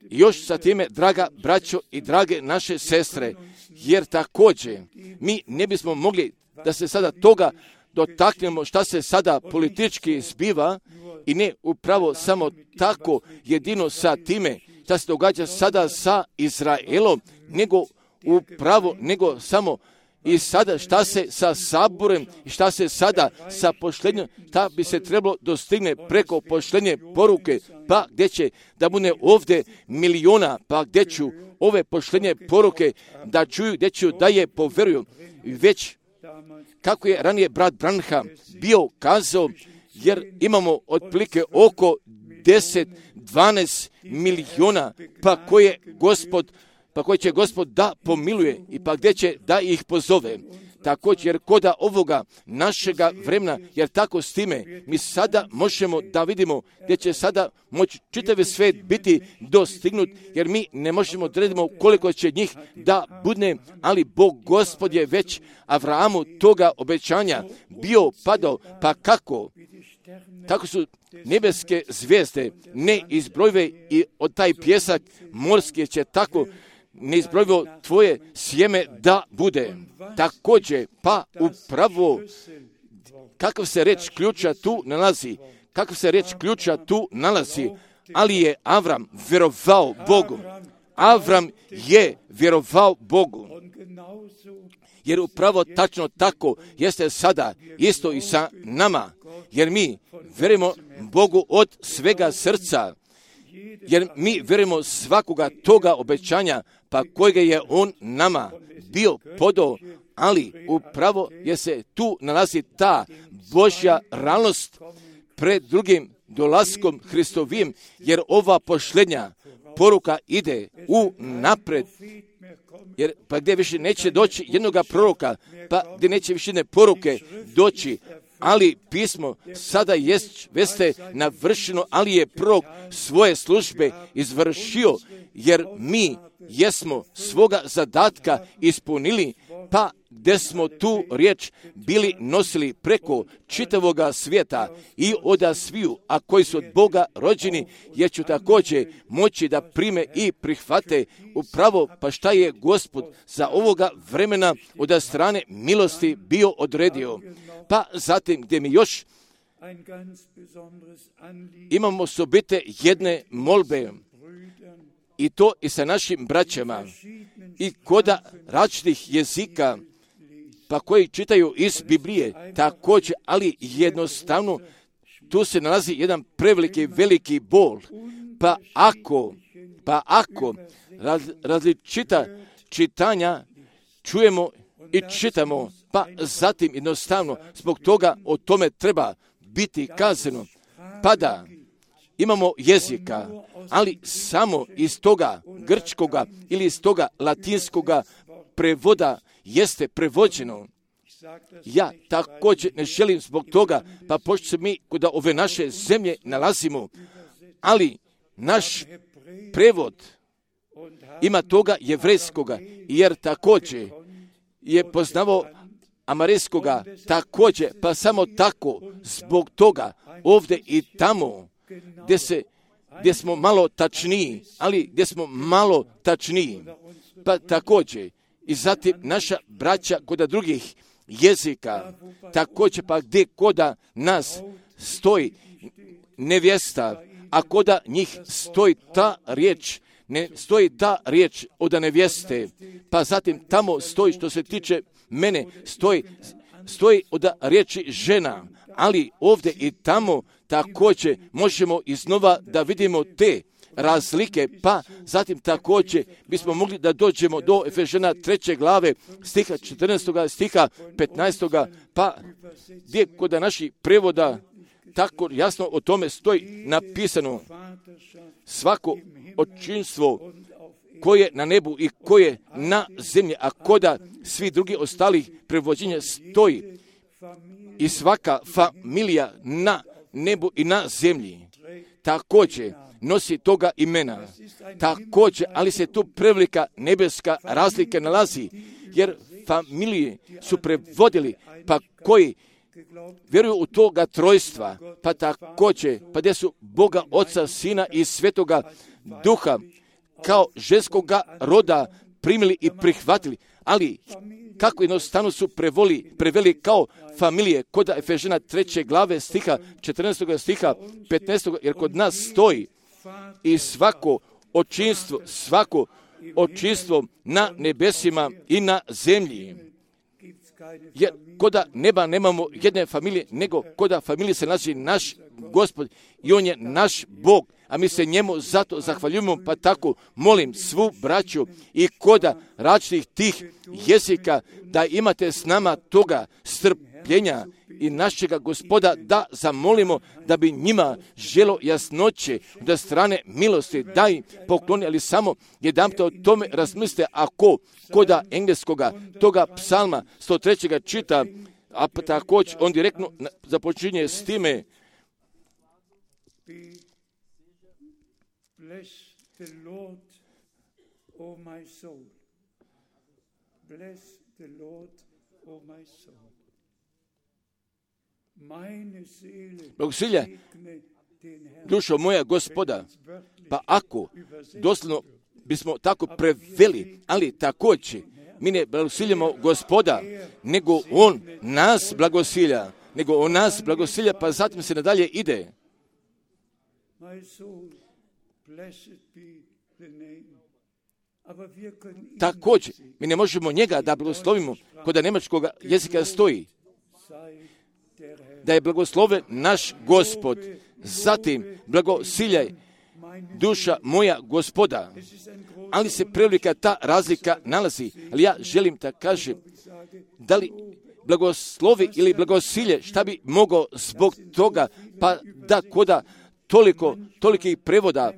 Speaker 1: I još sa time, draga braćo i drage naše sestre, jer također mi ne bismo mogli da se sada toga dotaknemo šta se sada politički zbiva i ne upravo samo tako jedino sa time šta se događa sada sa Izraelom, nego samo i sada šta se sa saborem i šta se sada sa poštenjem, šta bi se trebalo dostigne preko poštenje poruke, pa gdje će da bude ovdje miliona, pa gdje ću ove poštenje poruke da čuju, gdje ću da je poveruju. Već kako je ranije brat Branham bio kazao, jer imamo otprilike oko 10-12 miliona, pa koje će Gospod da pomiluje i pa gdje će da ih pozove. Također, jer koda ovoga našega vremena, jer tako s time mi sada možemo da vidimo gdje će sada moći čitavi svijet biti dostignut, jer mi ne možemo da redimo koliko će njih da bude, ali Bog Gospod je već Avrahamu toga obećanja bio padao, pa kako su nebeske zvijezde neizbrojive i od taj pjesak morski će tako neizbrojivo tvoje sjeme da bude. Također, pa upravo kakav se reč ključa tu nalazi, ali je Avram vjerovao Bogu. Avram je vjerovao Bogu. Jer upravo tačno tako jeste sada isto i sa nama. Jer mi vjerujemo Bogu od svega srca. Jer mi vjerujemo svakoga toga obećanja, pa kojega je On nama bio podao, ali upravo je se tu nalazi ta Božja realnost pred drugim dolaskom Hristovim, jer ova poštenja poruka ide u napred. Jer pa gdje više neće doći jednoga proroka, pa gdje neće više jedne poruke doći, ali pismo sada jeste navršeno, ali je prorok svoje službe izvršio, jer mi jesmo svoga zadatka ispunili, pa gdje smo tu riječ bili nosili preko čitavoga svijeta i oda sviju, a koji su od Boga rođeni, jer ću također moći da prime i prihvate upravo pa šta je Gospod za ovoga vremena od strane milosti bio odredio. Pa zatim gdje mi još imamo osobite jedne molbe, i to i sa našim braćama i koda različitih jezika, pa koji čitaju iz Biblije također, ali jednostavno tu se nalazi jedan veliki bol. Pa ako različita čitanja čujemo i čitamo, pa zatim jednostavno zbog toga o tome treba biti kazano. Pa da imamo jezika, ali samo iz toga grčkoga ili iz toga latinskoga prevoda jeste prevođeno. Ja također ne želim zbog toga, pa pošto se mi kod ove naše zemlje nalazimo, ali naš prevod ima toga jevrejskoga, jer također je poznavao amarijskoga također, pa samo tako zbog toga ovdje i tamo gdje smo malo tačniji, pa također i zatim naša braća kod drugih jezika, također pa gdje koda nas stoji nevjesta, a koda njih stoji ta riječ, ne stoji ta riječ od nevjeste, pa zatim tamo stoji što se tiče mene, stoji od riječi žena, ali ovdje i tamo također možemo iznova da vidimo te razlike, pa zatim također bismo mogli da dođemo do Efežana 3. glave, stiha 14. stiha 15. pa gdje kod naših prevoda tako jasno o tome stoji napisano: svako očinstvo koje na nebu i koje na zemlji, a koda svi drugi ostalih prevođenja stoji i svaka familija na nebu i na zemlji također nosi toga imena. Također, ali se tu prevelika nebeska razlika nalazi, jer familije su prevodili, pa koji vjeruju u toga trojstva, pa također, pa gdje su Boga, Oca, Sina i Svetoga Duha kao ženskoga roda primili i prihvatili, ali kako jednostavno su preveli kao familije kod Efežana 3. glave stiha 14. stiha 15. jer kod nas stoji i svako očinstvo na nebesima i na zemlji. Jer koda neba nemamo jedne familije, nego koda familije se nalazi naš Gospod i On je naš Bog, a mi se njemu zato zahvaljujemo, pa tako molim svu braću i koda različitih tih jezika da imate s nama toga strpljenja i našega Gospoda da zamolimo da bi njima želo jasnoće da strane milosti da im pokloni, ali samo jedanput o tome razmislite, ako koda engleskoga toga psalma 103. čita, a također on direktno započinje s time:
Speaker 2: Bless the Lord, O my soul. Bless the Lord, O my soul. Meine Seele
Speaker 1: Blagoslovlja
Speaker 2: segne den Herrn.
Speaker 1: dušo moja Gospoda. Pa ako doslovno bismo tako preveli, ali također mi ne blagoslovljamo Gospoda, nego On nas blagosilja, pa zatim se nadalje ide.
Speaker 2: My soul, blessed be the name. Aber wir können ihn
Speaker 1: Također, mi ne možemo njega da blagoslovimo, kod njemačkog jezika stoji
Speaker 2: sei der Herr.
Speaker 1: da je blagosloven naš Gospod. Zatim, blagosiljaj duša moja Gospoda.
Speaker 2: Es ist ein großer
Speaker 1: Ali se prevelika ta razlika nalazi. Ali ja želim da kažem, da li blagoslovi ili blagosilje, šta bi mogao zbog toga, pa da koda tolikih prevoda,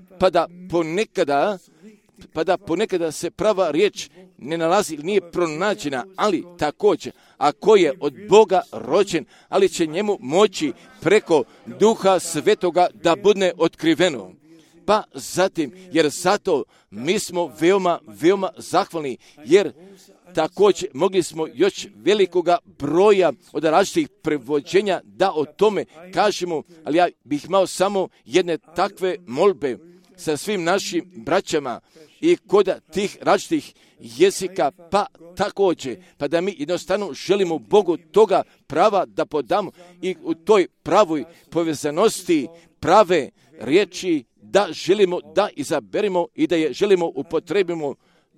Speaker 1: pa da ponekada se prava riječ ne nalazi, nije pronađena, ali također, ako je od Boga rođen, ali će njemu moći preko Duha Svetoga da bude otkriveno. Pa zatim, jer zato mi smo veoma zahvalni, jer također mogli smo još velikoga broja od različitih prevođenja da o tome kažemo, ali ja bih imao samo jedne takve molbe sa svim našim braćama i kod tih različitih jezika, pa također, pa da mi jednostavno želimo Bogu toga prava da podamo i u toj pravoj povezanosti prave riječi da želimo da izaberemo i da je želimo upotrebimo.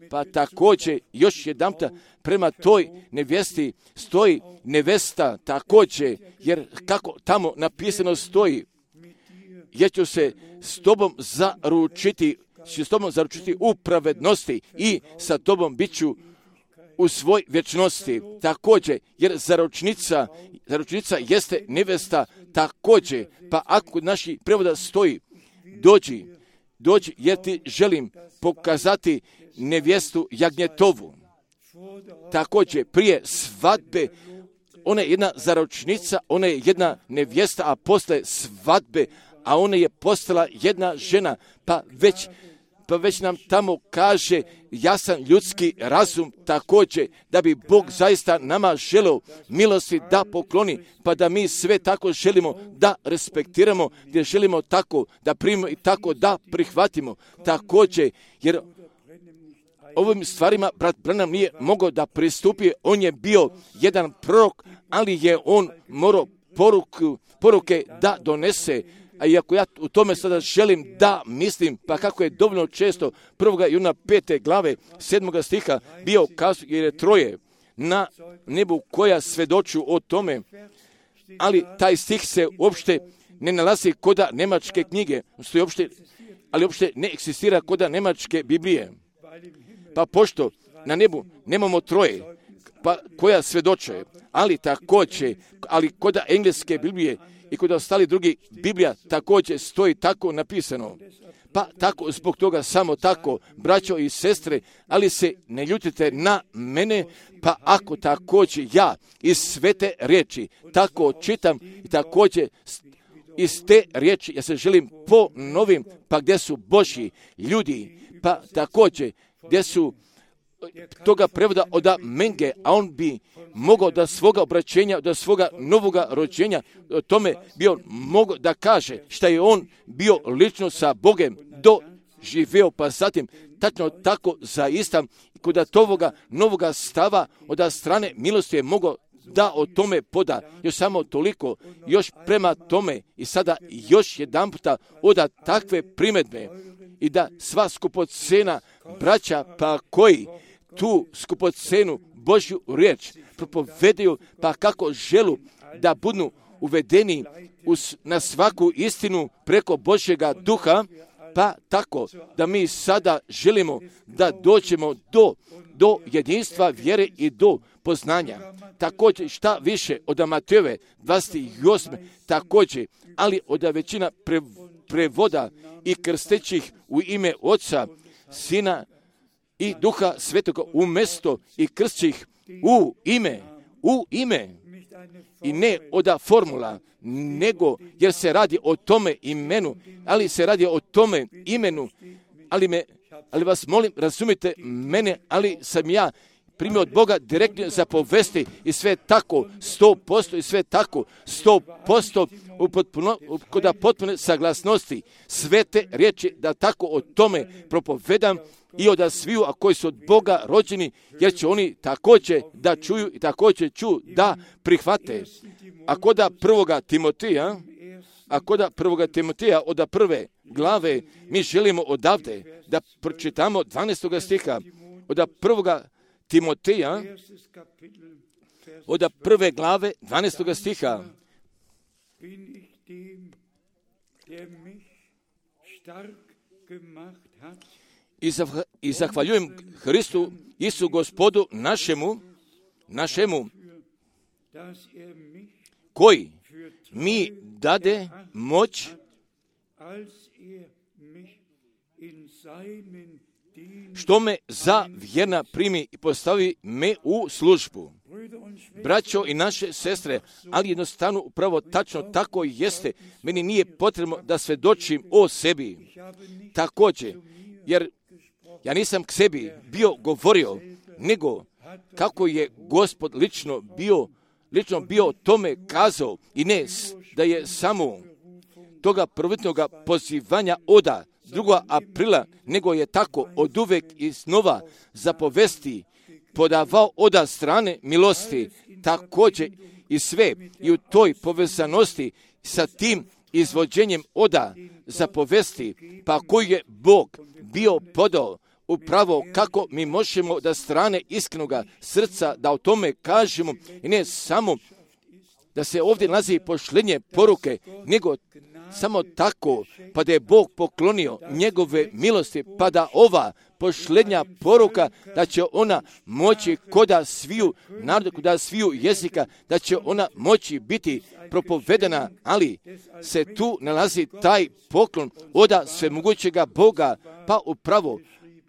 Speaker 1: Pa također još jedanput prema toj nevjesti stoji nevesta također, jer kako tamo napisano stoji, jer ću se s tobom zaručiti u pravednosti i sa tobom bit ću u svoj vječnosti. Također, jer zaručnica jeste nevesta također, pa ako kod naših prevoda stoji dođi jer ti želim pokazati nevjestu jagnjetovu. Također, prije svadbe, ona je jedna zaručnica, ona je jedna nevjesta, a posle svadbe, a ona je postala jedna žena, pa već nam tamo kaže jasan ljudski razum također, da bi Bog zaista nama želeo milosti da pokloni, pa da mi sve tako želimo da respektiramo, gdje želimo tako da primimo i tako da prihvatimo. Također, jer ovim stvarima brat Branham nije mogao da pristupi, on je bio jedan prorok, ali je on morao poruke da donese, A iako ja u tome sada želim da mislim, pa kako je dovoljno često 1. Juna 5. glave 7. stiha bio kazao, jer je troje na nebu koja svedoču o tome, ali taj stih se uopšte ne nalazi koda nemačke knjige, ali uopšte ne eksistira koda nemačke Biblije. Pa pošto na nebu nemamo troje, pa koja svedoče, ali također, ali koda engleske Biblije i kod ostali drugi Biblija također stoji tako napisano. Pa tako, zbog toga samo tako, braćo i sestre, ali se ne ljutite na mene, pa ako također ja iz svete riječi tako čitam i također iz te riječi ja se želim ponovim, pa gdje su Božji ljudi, pa također gdje su toga prevoda od Menge, a on bi mogao da svoga obraćenja, da svoga novoga rođenja, o tome bio mogao da kaže šta je on bio lično sa Bogem doživio, pa zatim tačno tako zaista kod toga novoga stava od strane milosti je mogao da o tome poda. Još samo toliko, još prema tome i sada još jedan puta oda takve primjedbe i da sva skupocena braća pa koji tu skupocenu Božju riječ propovedaju, pa kako želu da budu uvedeni na svaku istinu preko Božjega duha, pa tako da mi sada želimo da dođemo do jedinstva vjere i do poznanja. Također šta više od Matejove 28. također, ali od većina prevoda i krstećih u ime Oca, Sina i Duha Svetoga umjesto i krstih u ime i ne od formula, nego jer se radi o tome imenu, ali se radi o tome imenu, ali vas molim, razumite mene, ali sam ja primio od Boga direktno zapovesti i sve tako 100% i sve tako 100% kod potpune saglasnosti svete riječi da tako o tome propovedam i od sviju, a koji su od Boga rođeni, jer će oni također da čuju i također da prihvate. A koda prvoga Timotija od prve glave mi želimo odavde da pročitamo 12. stiha od prvoga Timotija od prve glave 12. stiha. I zahvaljujem Hristu Isu Gospodu našemu koji mi dade moć što me za vjerna primi i postavi me u službu. Braćo i naše sestre, ali jednostavno upravo tačno tako jeste. Meni nije potrebno da svjedočim o sebi. Također, jer ja nisam k sebi govorio, nego kako je Gospod lično bio tome kazao i ne da je samo toga prvotnog pozivanja od 2. aprila, nego je tako od uvek i snova zapovesti podavao od strane milosti, također i sve i u toj povezanosti sa tim izvođenjem od zapovesti, pa koji je Bog bio podao upravo kako mi možemo da strane iskrenoga srca da o tome kažemo i ne samo da se ovdje nalazi pošlenje poruke, nego samo tako, pa da je Bog poklonio njegove milosti, pa da ova pošlenja poruka, da će ona moći koda sviju naroda, koda sviju jezika, da će ona moći biti propovedena, ali se tu nalazi taj poklon od svemogućega Boga, pa upravo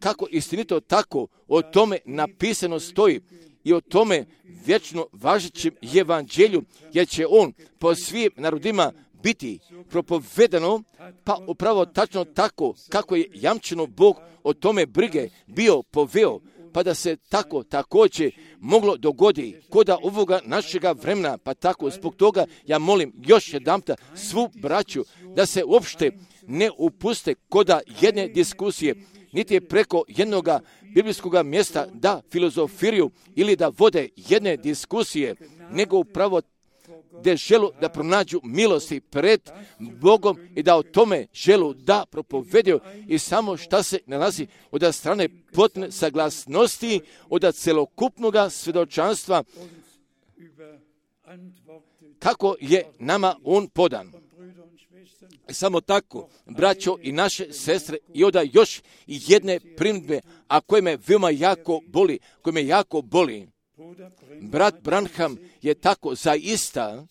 Speaker 1: kako istinito tako o tome napisano stoji i o tome vječno važećem evanđelju, jer će on po svim narodima biti propovedano, pa upravo tačno tako kako je jamčeno Bog o tome brige bio poveo, pa da se tako također moglo dogodi koda ovoga našega vremena, pa tako zbog toga ja molim još jedanputa svu braću da se uopšte ne upuste koda jedne diskusije, niti je preko jednog biblijskog mjesta da filozofiraju ili da vode jedne diskusije, nego upravo gdje želu da pronađu milosti pred Bogom i da o tome želu da propovedaju i samo šta se nalazi od strane potpune saglasnosti, od celokupnog svjedočanstva kako je nama on podan. Samo tako, braćo i naše sestre, i onda još jedne primjedbe, a koje me veoma jako boli, Brat Branham je tako zaista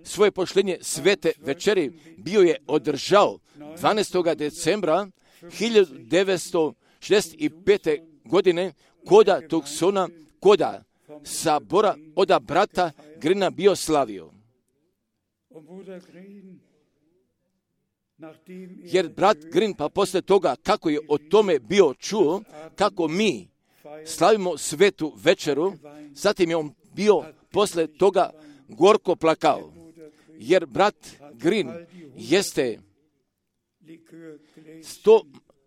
Speaker 1: svoje poštenje svete večeri bio je održao 12. decembra 1965. godine koda Tucsona, koda sabora od brata Grina bio slavio. Jer brat Grin, pa posle toga kako je o tome bio čuo, kako mi slavimo svetu večeru, zatim je on bio posle toga gorko plakao. Jer brat Grin jeste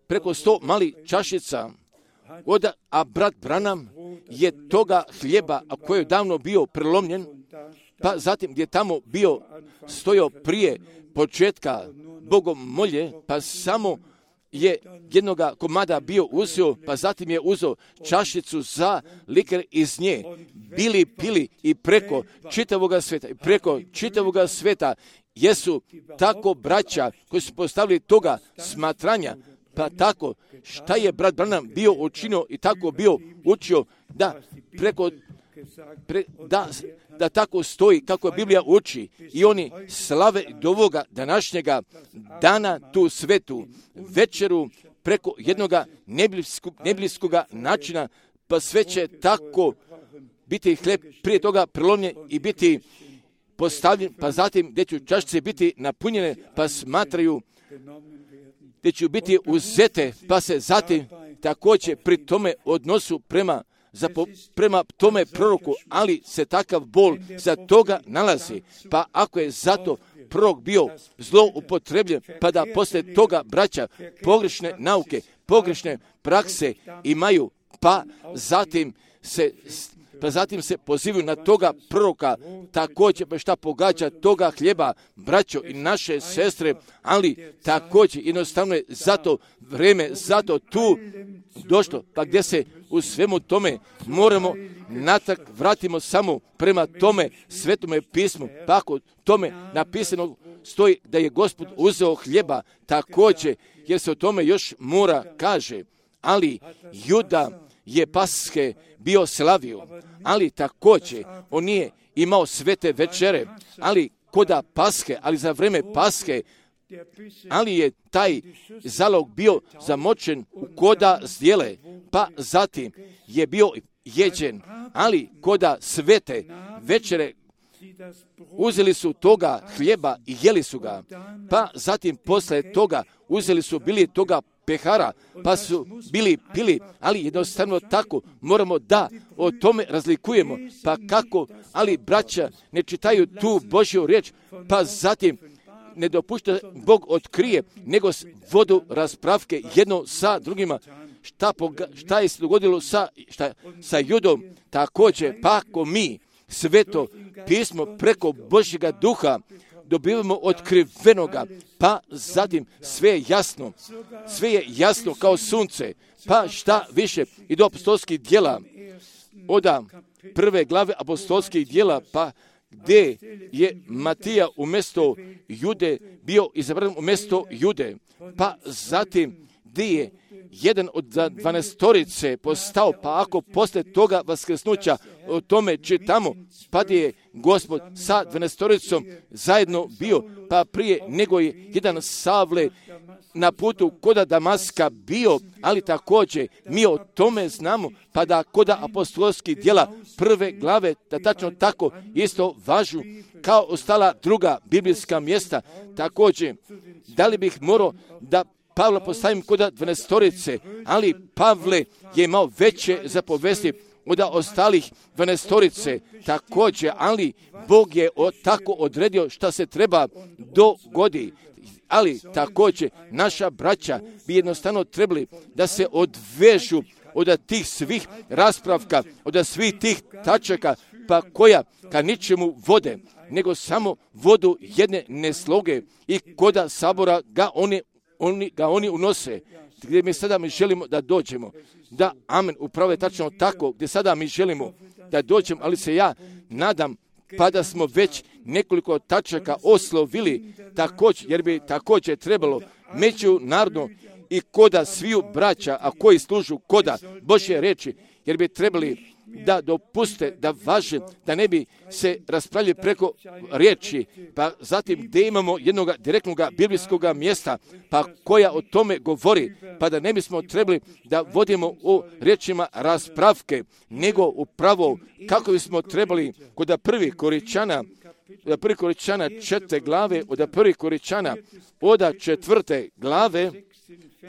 Speaker 1: preko 100 malih čašica, a brat Branham je toga hljeba, a koji je davno bio prelomljen, pa zatim gdje tamo bio stojao prije početka Bogom molje, pa samo je jednoga komada bio uzeo, pa zatim je uzeo čašicu za liker iz nje, pili i preko čitavoga sveta jesu tako braća koji su postavili toga smatranja, pa tako šta je brat Branham bio učinio i tako bio učio da tako stoji kako je Biblija uči i oni slave do ovoga današnjega dana tu svetu večeru preko jednoga neblijskog načina, pa sve će tako biti hljeb prije toga prelomljen i biti postavljen, pa zatim gdje će čašice biti napunjene, pa smatraju gdje će biti uzete, pa se zatim također pri tome odnosu prema tome proroku, ali se takav bol za toga nalazi. Pa ako je zato prorok bio zloupotrebljen, pa da posle toga braća pogrešne nauke, pogrešne prakse imaju, pa zatim se pozivaju na toga proroka, također pa šta pogađa toga hljeba, braćo i naše sestre, ali također jednostavno je zato vreme, zato tu došlo, pa gdje se u svemu tome moramo natrag vratimo samo prema tome svetome pismu, pa ako tome napisano stoji da je Gospod uzeo hljeba, također, jer se o tome još mora kaže, ali Juda je Paske bio slavio, ali također on nije imao svete večere, ali koda Paske, ali za vreme Paske, ali je taj zalog bio zamočen u koda zdjele, pa zatim je bio jeđen, ali koda svete večere uzeli su toga hljeba i jeli su ga, pa zatim posle toga uzeli su bili toga pehara, pa su bili pili, ali jednostavno tako moramo da o tome razlikujemo, pa kako, ali braća ne čitaju tu Božju riječ, pa zatim ne dopušta Bog otkrije, nego vodu raspravke jedno sa drugima, šta je se dogodilo sa Judom, također, pa ako mi sveto pismo preko Božjega duha dobivamo otkrivenoga, pa zatim sve je jasno kao sunce, pa šta više i do apostolskih djela, od prve glave apostolskih djela, pa gdje je Matija umjesto Jude bio izabran umjesto Jude, pa zatim gdje je jedan od 12 postao, pa ako posle toga vaskrsnuća o tome čitamo, pa gdje je Gospod sa 12 zajedno bio, pa prije nego je jedan Savle na putu koda Damaska bio, ali također mi o tome znamo, pa da koda apostolskih djela prve glave, da tačno tako isto važu kao ostala druga biblijska mjesta. Također, da li bih morao da Pavla postavim koda 12, ali Pavle je imao veće zapovesti od ostalih 12, također, ali Bog je tako odredio šta se treba dogodi. Ali također naša braća bi jednostavno trebali da se odvežu od tih svih raspravka, od svih tih tačaka pa koja ka ničemu vode, nego samo vodu jedne nesloge i koda sabora ga oni unose, gdje mi sada želimo da dođemo. Da, amen, upravo je tačno tako, gdje sada mi želimo da dođemo, ali se ja nadam pa da smo već nekoliko tačaka oslovili također, jer bi također trebalo međunarodno i koda sviju braća, a koji služu koda Božje reči, jer bi trebali da dopuste, da važe, da ne bi se raspravljali preko riječi, pa zatim gdje imamo jednog direktnog biblijskog mjesta, pa koja o tome govori, pa da ne bismo trebali da vodimo o riječima raspravke, nego upravo kako bismo trebali kod prvih Koričana 4. glave, od prvih Koričana od 4. glave,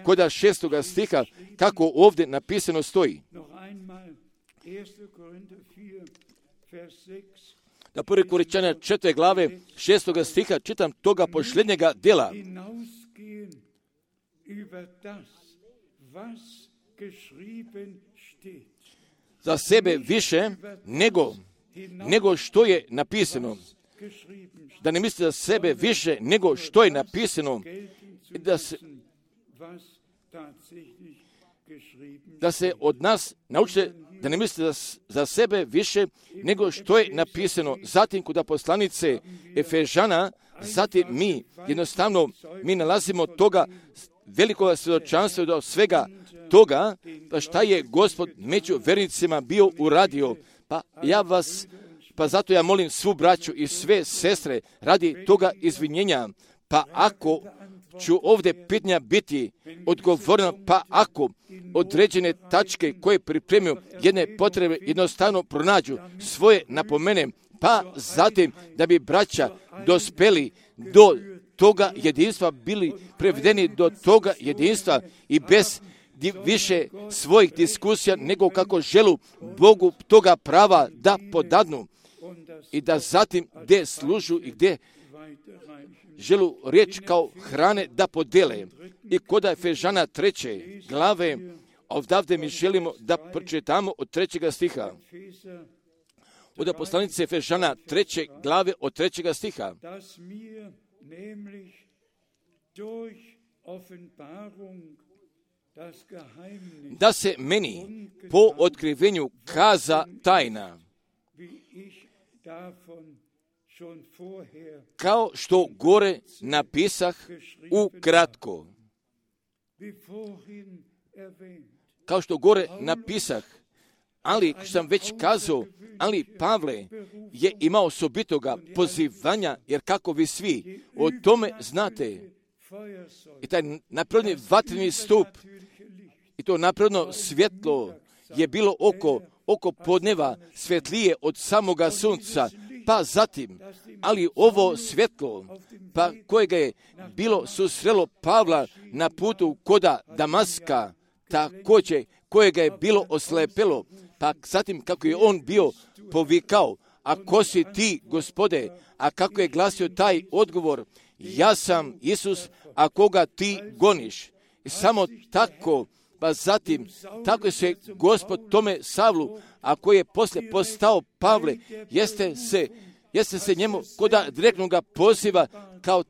Speaker 1: kod 6. stiha, kako ovdje napisano stoji. Da 1. Koričana 4. glave 6. stiha čitam toga posljednjega djela. Za sebe više nego što je napisano. Da ne mislite za sebe više nego što je napisano. Da se od nas naučite da ne mislite za sebe više nego što je napisano. Zatim kod poslanice Efežana, zatim mi jednostavno nalazimo toga velikog svjedočanstva do svega toga, pa šta je Gospod među vernicima bio uradio. Pa zato ja molim svu braću i sve sestre radi toga izvinjenja. Pa ako ću ovdje pitanja biti odgovorno, pa ako određene tačke koje pripremio jedne potrebe jednostavno pronađu svoje napomene, pa zatim da bi braća dospeli do toga jedinstva, bili prevedeni do toga jedinstva i bez više svojih diskusija nego kako želu Bogu toga prava da podadnu i da zatim gdje služu i gdje želu riječ kao hrane da podele. I kod Efežana 3. glave, ovdje mi želimo da pročitamo od 3. stiha. Od poslanice Efežana 3. glave od 3. stiha. Da se meni po otkrivenju kaza tajna, kao što gore napisah ukratko. Kao što gore napisah, ali što sam već kazao, ali Pavle je imao osobitoga pozivanja, jer kako vi svi o tome znate, i taj napredni vatreni stup, i to napredno svjetlo je bilo oko podneva svjetlije od samoga sunca, pa zatim, ali ovo svjetlo, pa kojega je bilo susrelo Pavla na putu koda Damaska, također kojega je bilo oslepelo, pa zatim kako je on bio povikao, a ko si ti, Gospode, a kako je glasio taj odgovor, ja sam Isus, a koga ti goniš. I samo tako, pa zatim, tako se Gospod tome Savlu, a koji je poslije postao Pavle, jeste se njemu koda direktnog poziva kao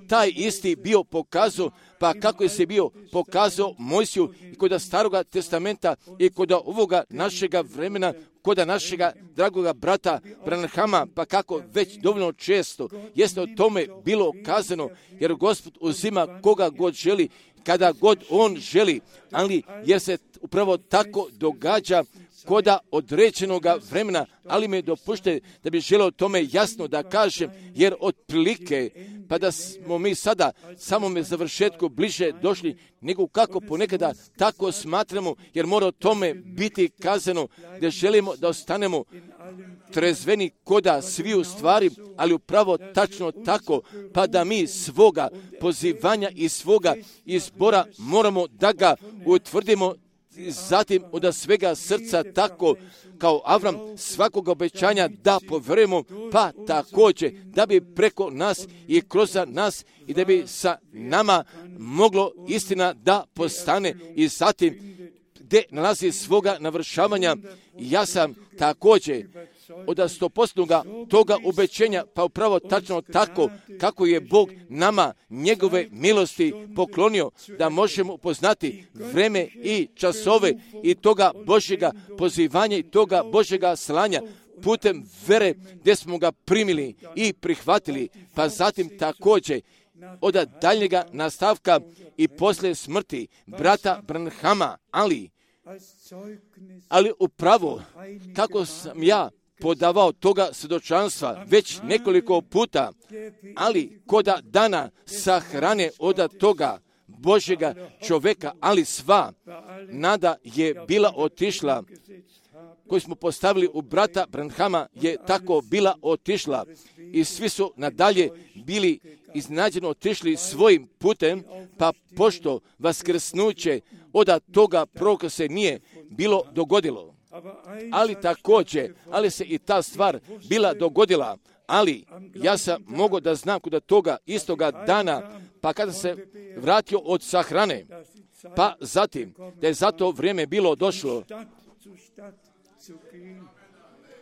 Speaker 1: taj isti bio pokazao, pa kako je se bio pokazao Mojsiju i koda Staroga testamenta i koda ovoga našega vremena, koda našega dragoga brata Branhama, pa kako već dovoljno često jeste o tome bilo kazano, jer Gospod uzima koga god želi, kada god on želi, ali jer se upravo tako događa koda određenog vremena, ali me dopušte da bi želeo tome jasno da kažem, jer otprilike, pa da smo mi sada samome završetku bliže došli, nego kako ponekada tako smatramo, jer mora o tome biti kazano, da želimo da ostanemo trezveni koda sviju stvari, ali upravo tačno tako, pa da mi svoga pozivanja i svoga izbora moramo da ga utvrdimo, zatim od svega srca tako kao Avram svakog obećanja da povjerujemo, pa također da bi preko nas i kroz nas i da bi sa nama moglo istina da postane i zatim gdje nalazi svoga navršavanja. Ja sam također od 100% toga ubećenja, pa upravo tačno tako kako je Bog nama njegove milosti poklonio, da možemo upoznati vreme i časove i toga Božjega pozivanja i toga Božjega slanja putem vere gdje smo ga primili i prihvatili, pa zatim također od daljnjega nastavka i poslije smrti brata Branhama, ali upravo kako sam ja podavao toga svjedočanstva već nekoliko puta, ali koda dana sahrane od toga Božjega čovjeka, ali sva nada je bila otišla, koju smo postavili u brata Branhama je tako bila otišla i svi su nadalje bili iznenađeno otišli svojim putem, pa pošto vaskrsnuće od toga proroka se nije bilo dogodilo. Ali također, ali se i ta stvar bila dogodila, ali ja sam mogao da znam kod toga istoga dana, pa kada se vratio od sahrane, pa zatim da je za to vrijeme bilo došlo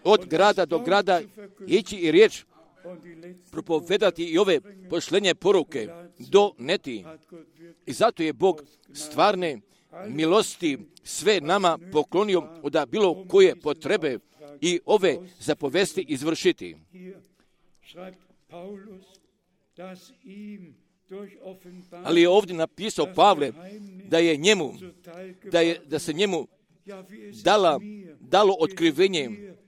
Speaker 1: od grada do grada ići i riječ propovedati i ove pošlenje poruke do neti. I zato je Bog stvarne milosti sve nama poklonio od bilo koje potrebe i ove zapovesti izvršiti. Ali je ovdje napisao Pavle da se njemu dalo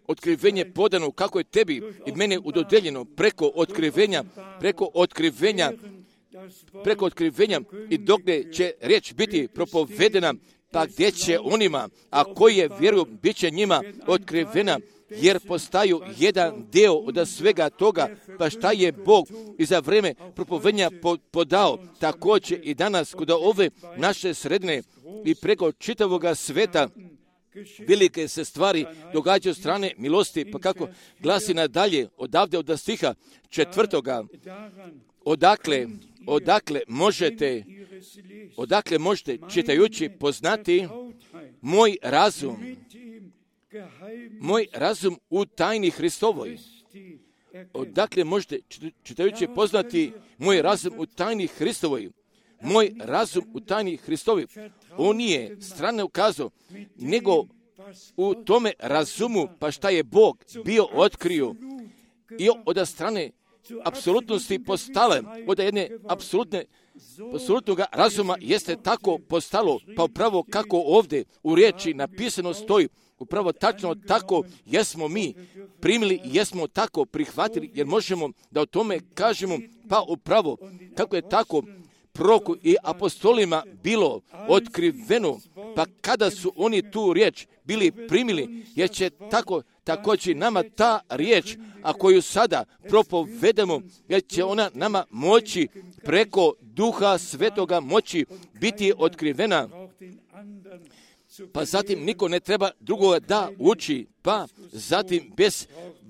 Speaker 1: otkrivenje podano kako je tebi i mene udodeljeno preko otkrivenja i dok će riječ biti propovedena, pa gdje će onima, a koji je vjeruju, bit će njima otkrivena, jer postaju jedan dio od svega toga, pa šta je Bog i za vrijeme propovedanja podao, također i danas kod ove naše sredine i preko čitavoga sveta velike se stvari događaju strane milosti, pa kako glasi nadalje odavde od stiha 4. Odakle možete čitajući poznati moj razum u tajni Hristovoj. Odakle možete čitajući poznati moj razum u tajni Hristovoj. Moj razum u tajni Hristovoj. On nije strane ukazao, nego u tome razumu, pa šta je Bog bio otkrio i od strane apsolutnosti postale, od jedne apsolutnog razuma jeste tako postalo, pa upravo kako ovdje u riječi napisano stoji, upravo tačno tako jesmo mi primili i jesmo tako prihvatili, jer možemo da o tome kažemo, pa upravo kako je tako proroku i apostolima bilo otkriveno, pa kada su oni tu riječ bili primili, jer će također nama ta riječ, a koju sada propovedemo, jer će ona nama moći preko Duha Svetoga moći biti otkrivena, pa zatim niko ne treba drugoga da uči, pa zatim bez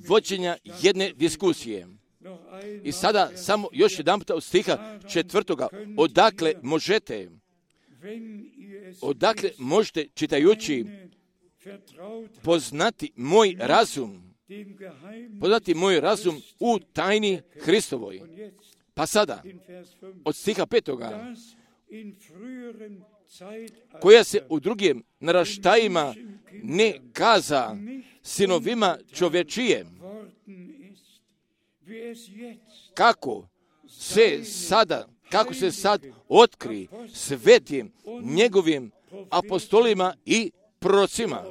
Speaker 1: vođenja jedne diskusije. I sada samo još jedan puta od stiha 4. Odakle možete čitajući poznati moj razum u tajni Hristovoj. Pa sada od stiha 5. koja se u drugim naraštajima ne kaza sinovima čovječije, kako se sad otkri svetim njegovim apostolima i prorocima.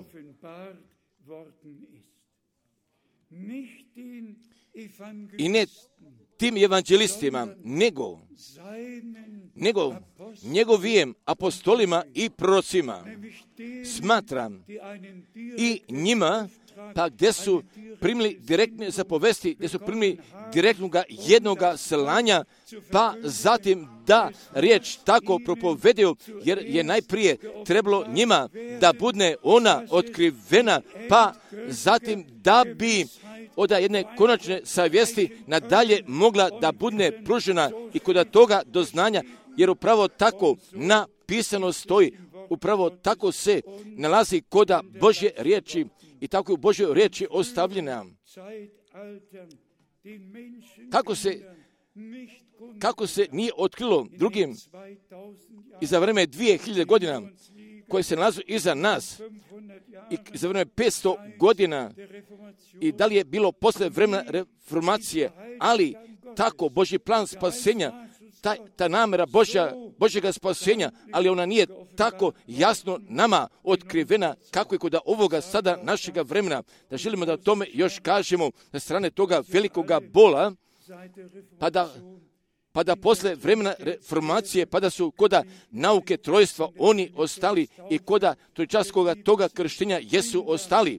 Speaker 1: I ne tim evanđelistima, nego njegovim apostolima i prorocima. Smatram i njima, pa gdje su primili direktne zapovesti, gdje su primili direktnoga jednoga slanja, pa zatim da riječ tako propovedaju, jer je najprije trebalo njima da bude ona otkrivena, pa zatim da bi od jedne konačne savjesti nadalje mogla da bude pružena i kod toga doznanja, jer upravo tako napisano stoji, upravo tako se nalazi kod Božje riječi i tako je u Božoj riječi ostavljena. Kako se nije otkrilo drugim i za vreme 2000 godina koje se nalazu iza nas i za vreme 500 godina i da li je bilo posle vremena reformacije, ali tako Božji plan spasenja, ta namjera Božjega spasenja, ali ona nije tako jasno nama otkrivena kako je kod ovoga sada našega vremena, da želimo da o tome još kažemo na strane toga velikoga bola, pa da posle vremena reformacije, pa da su koda nauke trojstva oni ostali i koda trojčaskoga toga krštenja jesu ostali,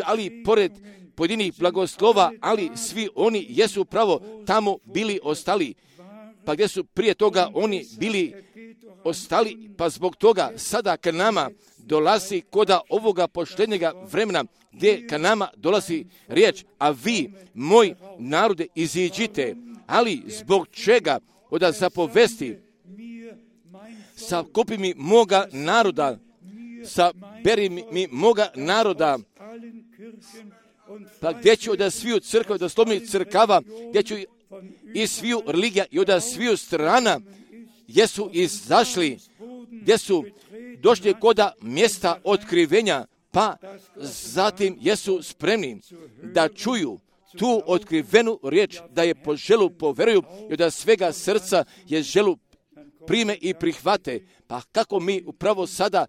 Speaker 1: ali pored pojedinih blagoslova, ali svi oni jesu pravo tamo bili ostali. Pa gdje su prije toga oni bili ostali, pa zbog toga sada ka nama dolazi koda ovoga poštenjega vremena, gdje ka nama dolazi riječ, a vi, moj narode, iziđite. Ali zbog čega? Oda zapovesti, sakupi mi moga naroda, saberi mi moga naroda, pa gdje ću od sviju crkva, od osnovnih crkava, gdje ću i sviju religija i od sviju strana, jesu izašli, gdje su došli koda mjesta otkrivenja, pa zatim jesu spremni da čuju tu otkrivenu riječ, da je po želu poveruju i da svega srca je želu prime i prihvate. Pa kako mi upravo sada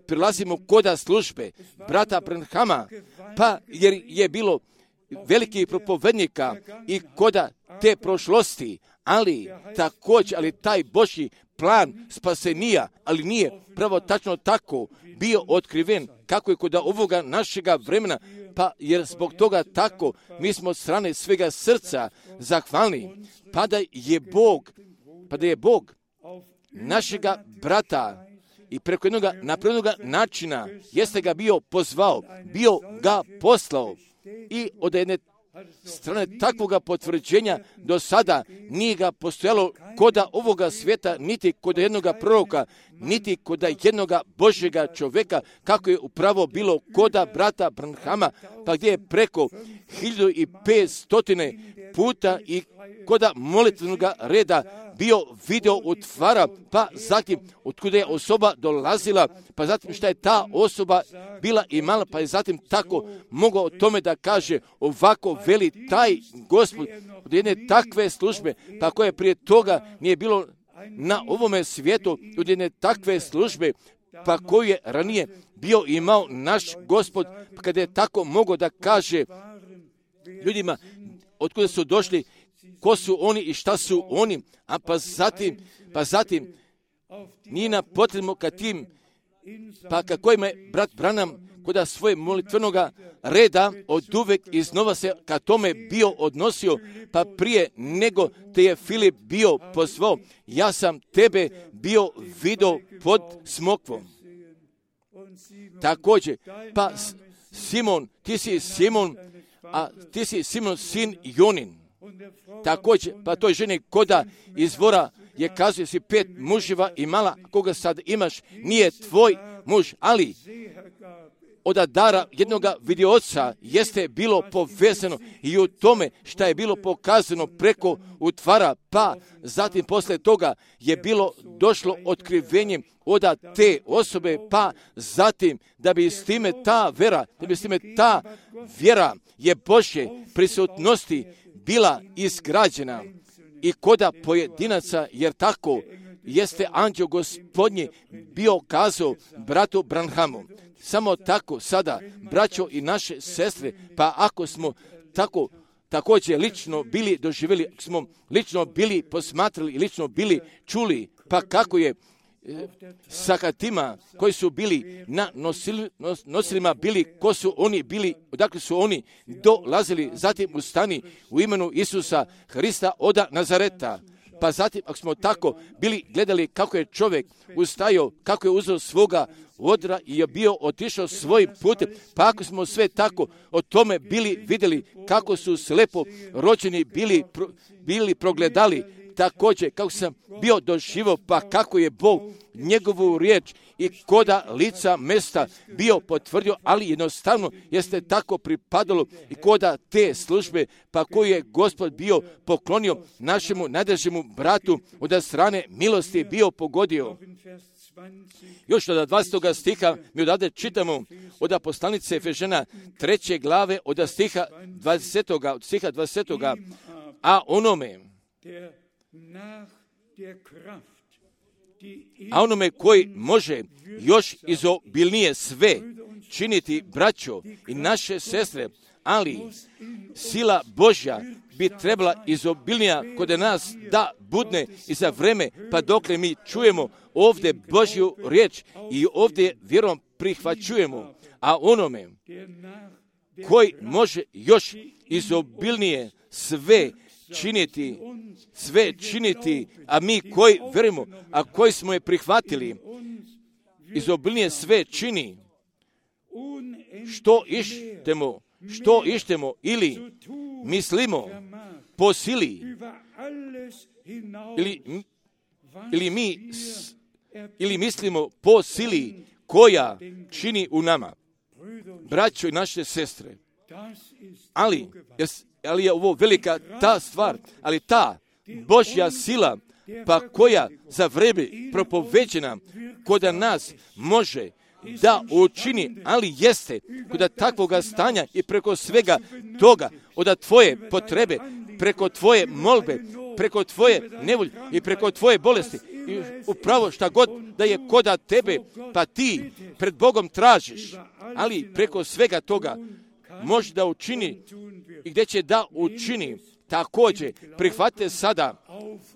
Speaker 1: prilazimo koda službe brata Branhama, pa jer je bilo velikih propovednika i koda te prošlosti, ali također, ali taj Božji plan spasenija, ali nije pravo tačno tako bio otkriven kako je kod ovoga našega vremena, pa jer zbog toga tako mi smo od strane svega srca zahvalni, pa da je Bog našega brata i preko jednog napravljenog načina jeste ga bio pozvao, bio ga poslao i od jedne strane takvoga potvrđenja do sada nije ga postojalo koda ovoga svijeta, niti kod jednoga proroka, niti kod jednoga Božjega čovjeka, kako je upravo bilo koda brata Branhama, pa gdje je preko 1500 puta i koda molitvenog reda bio video otvara, pa zatim otkuda je osoba dolazila, pa zatim šta je ta osoba bila imala, pa je zatim tako mogao o tome da kaže, ovako veli taj Gospod od jedne takve službe, pa koje prije toga nije bilo na ovome svijetu, od jedne takve službe, pa koju je ranije bio imao naš Gospod, pa kada je tako mogao da kaže ljudima otkuda su došli, ko su oni i šta su oni, a pa zatim nije nam potrebno ka tim, pa kako ima je brat Branham koda svoje molitvenoga reda od uvek iznova se ka tome bio odnosio, pa prije nego te je Filip bio pozvao, ja sam tebe bio video pod smokvom. Također, pa Simon, ti si Simon, a ti si Simon sin Jonin. Također, pa toj ženi koda izvora je kazuje si 5 muževa imala, koga sad imaš, nije tvoj muž, ali od dara jednoga vidioca jeste bilo povezano i u tome šta je bilo pokazano preko utvara, pa zatim posle toga je bilo došlo otkrivenjem od te osobe, pa zatim da bi s time ta vjera je Božje prisutnosti bila izgrađena i koda pojedinaca, jer tako jeste anđeo Gospodnji bio kazao bratu Branhamu. Samo tako sada, braćo i naše sestre, pa ako smo tako također lično bili doživjeli, smo lično bili posmatrali i lično bili čuli, pa kako je sakatima koji su bili na nosilima bili, ko su oni bili, odakle su oni dolazili, zatim ustani u imenu Isusa Hrista od Nazareta. Pa zatim, ako smo tako bili gledali kako je čovjek ustajao, kako je uzeo svoga odra i je bio otišao svojim putem, pa ako smo sve tako o tome bili vidjeli, kako su slepo rođeni bili progledali, također kako sam bio doživio, pa kako je Bog njegovu riječ i koda lica mesta bio potvrdio, ali jednostavno jeste tako pripadalo i koda te službe, pa koju je Gospod bio poklonio našemu najdražemu bratu, od strane milosti bio pogodio. Još od 20. stiha mi odavde čitamo od poslanice Efežana 3. glave od stiha 20. A onome koji može još izobilnije sve činiti, braćo i naše sestre, ali sila Božja bi trebala izobilnija kod nas da budne i za vreme, pa dokle mi čujemo ovdje Božju riječ i ovdje vjerom prihvaćujemo, a onome koji može još izobilnije sve činiti, a mi koji vjerujemo, a koji smo je prihvatili, izobilnije sve čini, što ištemo ili mislimo po sili, ili mislimo po sili koja čini u nama. Braćo i naše sestre, ali je ovo velika ta stvar, ali ta Božja sila, pa koja za vreme propoveđena kod nas može da učini, ali jeste kod takvoga stanja i preko svega toga, od tvoje potrebe, preko tvoje molbe, preko tvoje nevolje i preko tvoje bolesti. I upravo šta god da je koda tebe, pa ti pred Bogom tražiš, ali preko svega toga može da učini i gdje će da učini. Također, prihvatite sada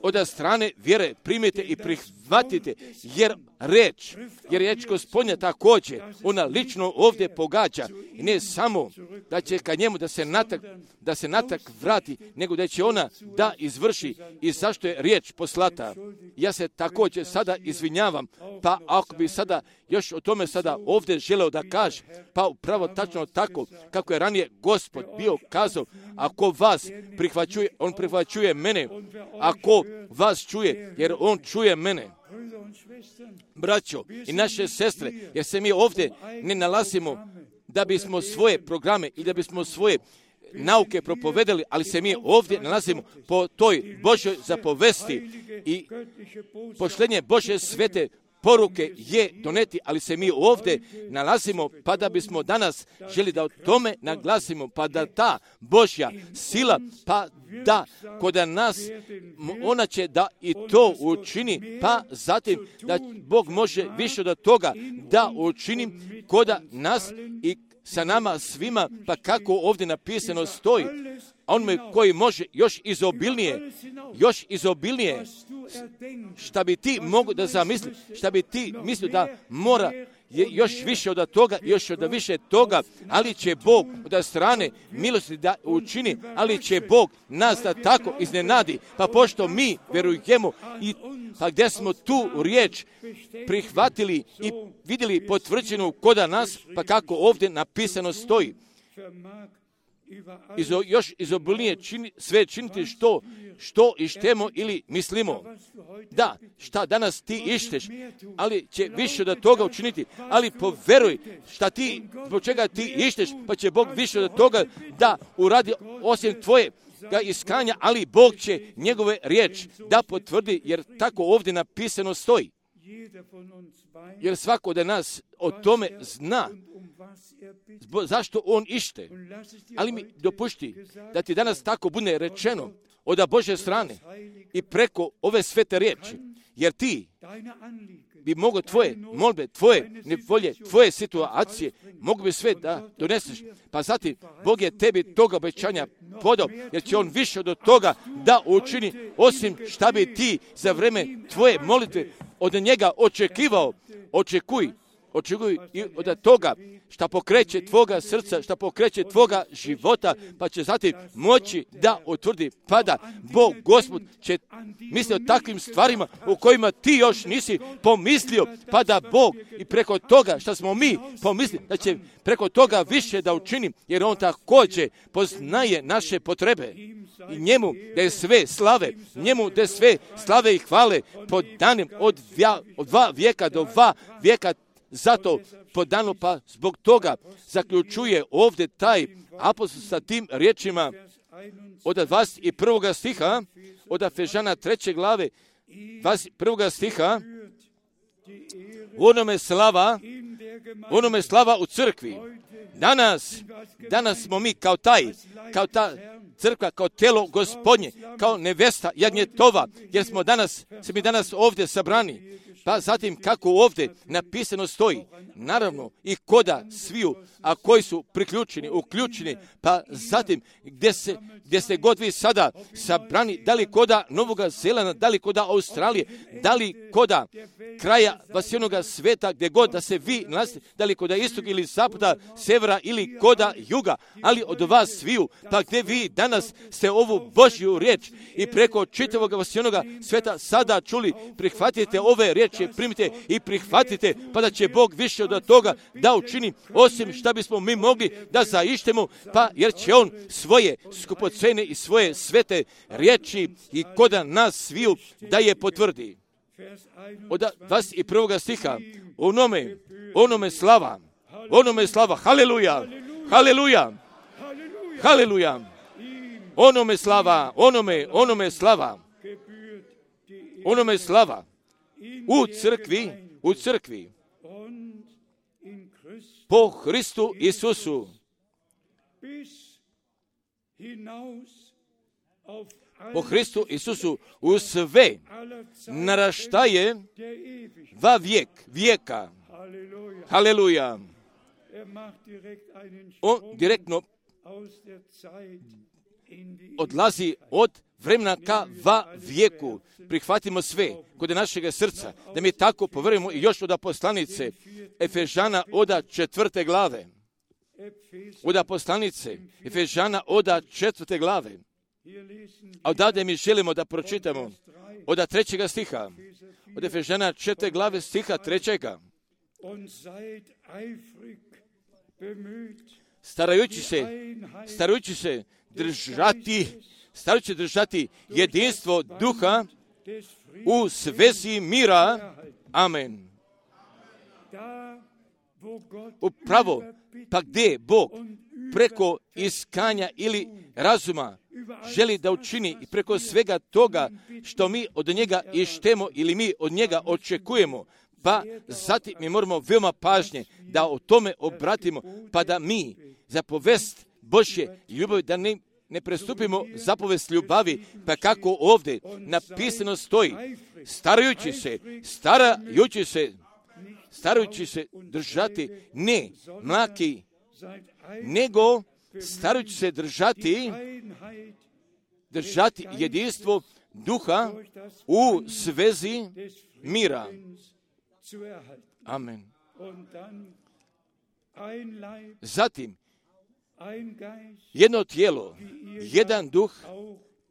Speaker 1: od strane vjere, primite i prihvatite, jer riječ Gospodnja također, ona lično ovdje pogađa. I ne samo da će ka njemu da se natak vrati, nego da će ona da izvrši i zašto je riječ poslata. Ja se također sada izvinjavam, pa ako bi sada još o tome sada ovdje želeo da kaže, pa upravo tačno tako kako je ranije Gospod bio kazao, ako vas prihvaćuje, on prihvaćuje mene, ako vas čuje, jer on čuje mene. Braćo i naše sestre, jer se mi ovdje ne nalazimo da bismo svoje programe i da bismo svoje nauke propovedali, ali se mi ovdje nalazimo po toj Božoj zapovesti i poštenje Bože svete poruke je doneti, ali se mi ovdje nalazimo pa da bismo danas želi da o tome naglasimo, pa da ta Božja sila, pa da kod nas ona će da i to učini, pa zatim da Bog može više od toga da učini kod nas i sa nama svima, pa kako ovdje napisano stoji, a onome koji može još izobilnije, šta bi ti mogu da zamisli, šta bi ti mislio da mora je još više od toga, još od više toga, ali će Bog od strane milosti da učini, ali će Bog nas da tako iznenadi, pa pošto mi verujemo i pa gdje smo tu riječ prihvatili i vidjeli potvrđenu kod nas, pa kako ovdje napisano stoji, još izobilnije sve činiti što ištemo ili mislimo. Da, šta danas ti išteš, ali će više od toga učiniti, ali poveruj zbog čega ti išteš, pa će Bog više od toga da uradi osim tvoje iskanja, ali Bog će njegove riječ da potvrdi, jer tako ovdje napisano stoji. Jer svako od nas o tome zna zašto on ište. Ali mi dopušti da ti danas tako bude rečeno od Božje strane i preko ove svete riječi. Jer ti bi mogo tvoje molbe, tvoje nevolje, tvoje situacije, mogu bi sve da doneseš. Pa zatim, Bog je tebi toga obećanja podao, jer će on više od toga da učini, osim šta bi ti za vreme tvoje molitve od njega očekivao. Očekuj očekuju i od toga šta pokreće tvoga srca, šta pokreće tvoga života, pa će zatim moći da utvrdi, pa da Bog, Gospod, će misli o takvim stvarima u kojima ti još nisi pomislio, pa da Bog i preko toga šta smo mi pomislili, da će preko toga više da učini, jer On također poznaje naše potrebe. I njemu da je sve slave, njemu da je sve slave i hvale po danim od 2 vijeka do 2 vijeka, zato po danu, pa zbog toga zaključuje ovdje taj apostol sa tim riječima od 21. stiha, od Efežana 3. glave, 21. stiha, onome slava u crkvi. Danas smo mi kao ta crkva, kao telo Gospodnje, kao nevesta jagnjetova, jer smo mi danas ovdje sabrani. Pa zatim kako ovdje napisano stoji, naravno i koda sviju, a koji su uključeni, pa zatim gdje ste god vi sada sabrani, da li koda Novoga Zelanda, da li koda Australije, da li koda kraja vasijonoga sveta, gdje god da se vi nalazite, da li koda istoga ili zapada, severa ili koda juga, ali od vas sviju, pa gdje vi danas ste ovu Božju riječ i preko čitavog vasijonoga sveta sada čuli, prihvatite ove riječi, primite i prihvatite, pa da će Bog više od toga da učini, osim šta bismo mi mogli da zaištemo, pa jer će On svoje skupocene i svoje svete riječi i koda nas sviju da je potvrdi. Od 21. stiha, onome slava, haleluja, haleluja, haleluja, onome slava, onome slava, u crkvi, po Hristu Isusu, u sve naraštaje va vijeka. Haleluja. On direktno odlazi od vremena ka va vijeku. Prihvatimo sve kod našega srca, da mi tako poverujemo i još od poslanice Efežana od 4. glave. Od poslanice Efežana od 4. glave. A odavde mi želimo da pročitamo od 3. stiha, od Efežana 4. glave stiha 3. Starajući se držati jedinstvo duha u svezi mira. Amen. Upravo, pa gdje Bog preko iskanja ili razuma želi da učini i preko svega toga što mi od njega ištemo ili mi od njega očekujemo, pa zatim mi moramo veoma pažnje da o tome obratimo, pa da mi zapovest Božje ljubavi, da ne prestupimo zapovest ljubavi, pa kako ovdje napisano stoji, starajući se držati ne mlaki, nego starajući se držati jedinstvo duha u svezi mira. Amen. Zatim, jedno tijelo, jedan duh,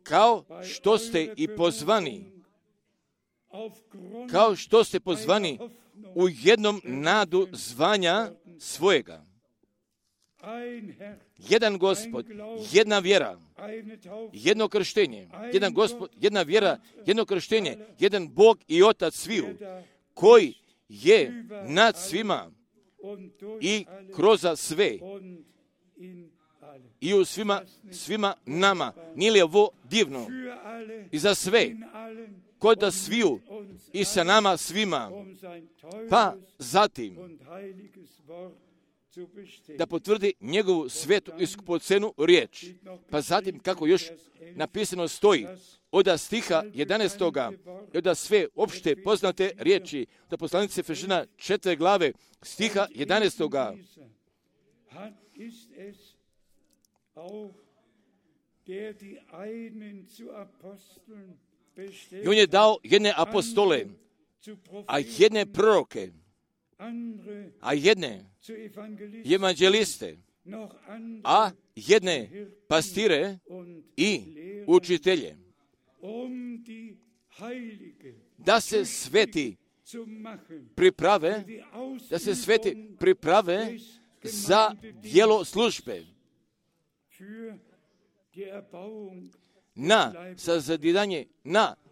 Speaker 1: kao što ste i pozvani, u jednom nadu zvanja svojega. Jedan Gospod, jedna vjera, jedno krštenje, jedan Gospod, jedna vjera, jedno krštenje, jedan Bog i Otac sviju, koji je nad svima i kroz sve i u svima nama. Nije li ovo divno? I za sve, kod da sviju i sa nama svima, pa zatim da potvrdi njegovu svetu i skupocenu riječ. Pa zatim, kako još napisano stoji, od stiha 11. i od sve opšte poznate riječi, da poslanice Efežana 4. glave stiha 11. I on je dao jedne apostole, a jedne proroke, a jedne evanđeliste, a jedne pastire i učitelje, da se sveti priprave, za djelo službe, na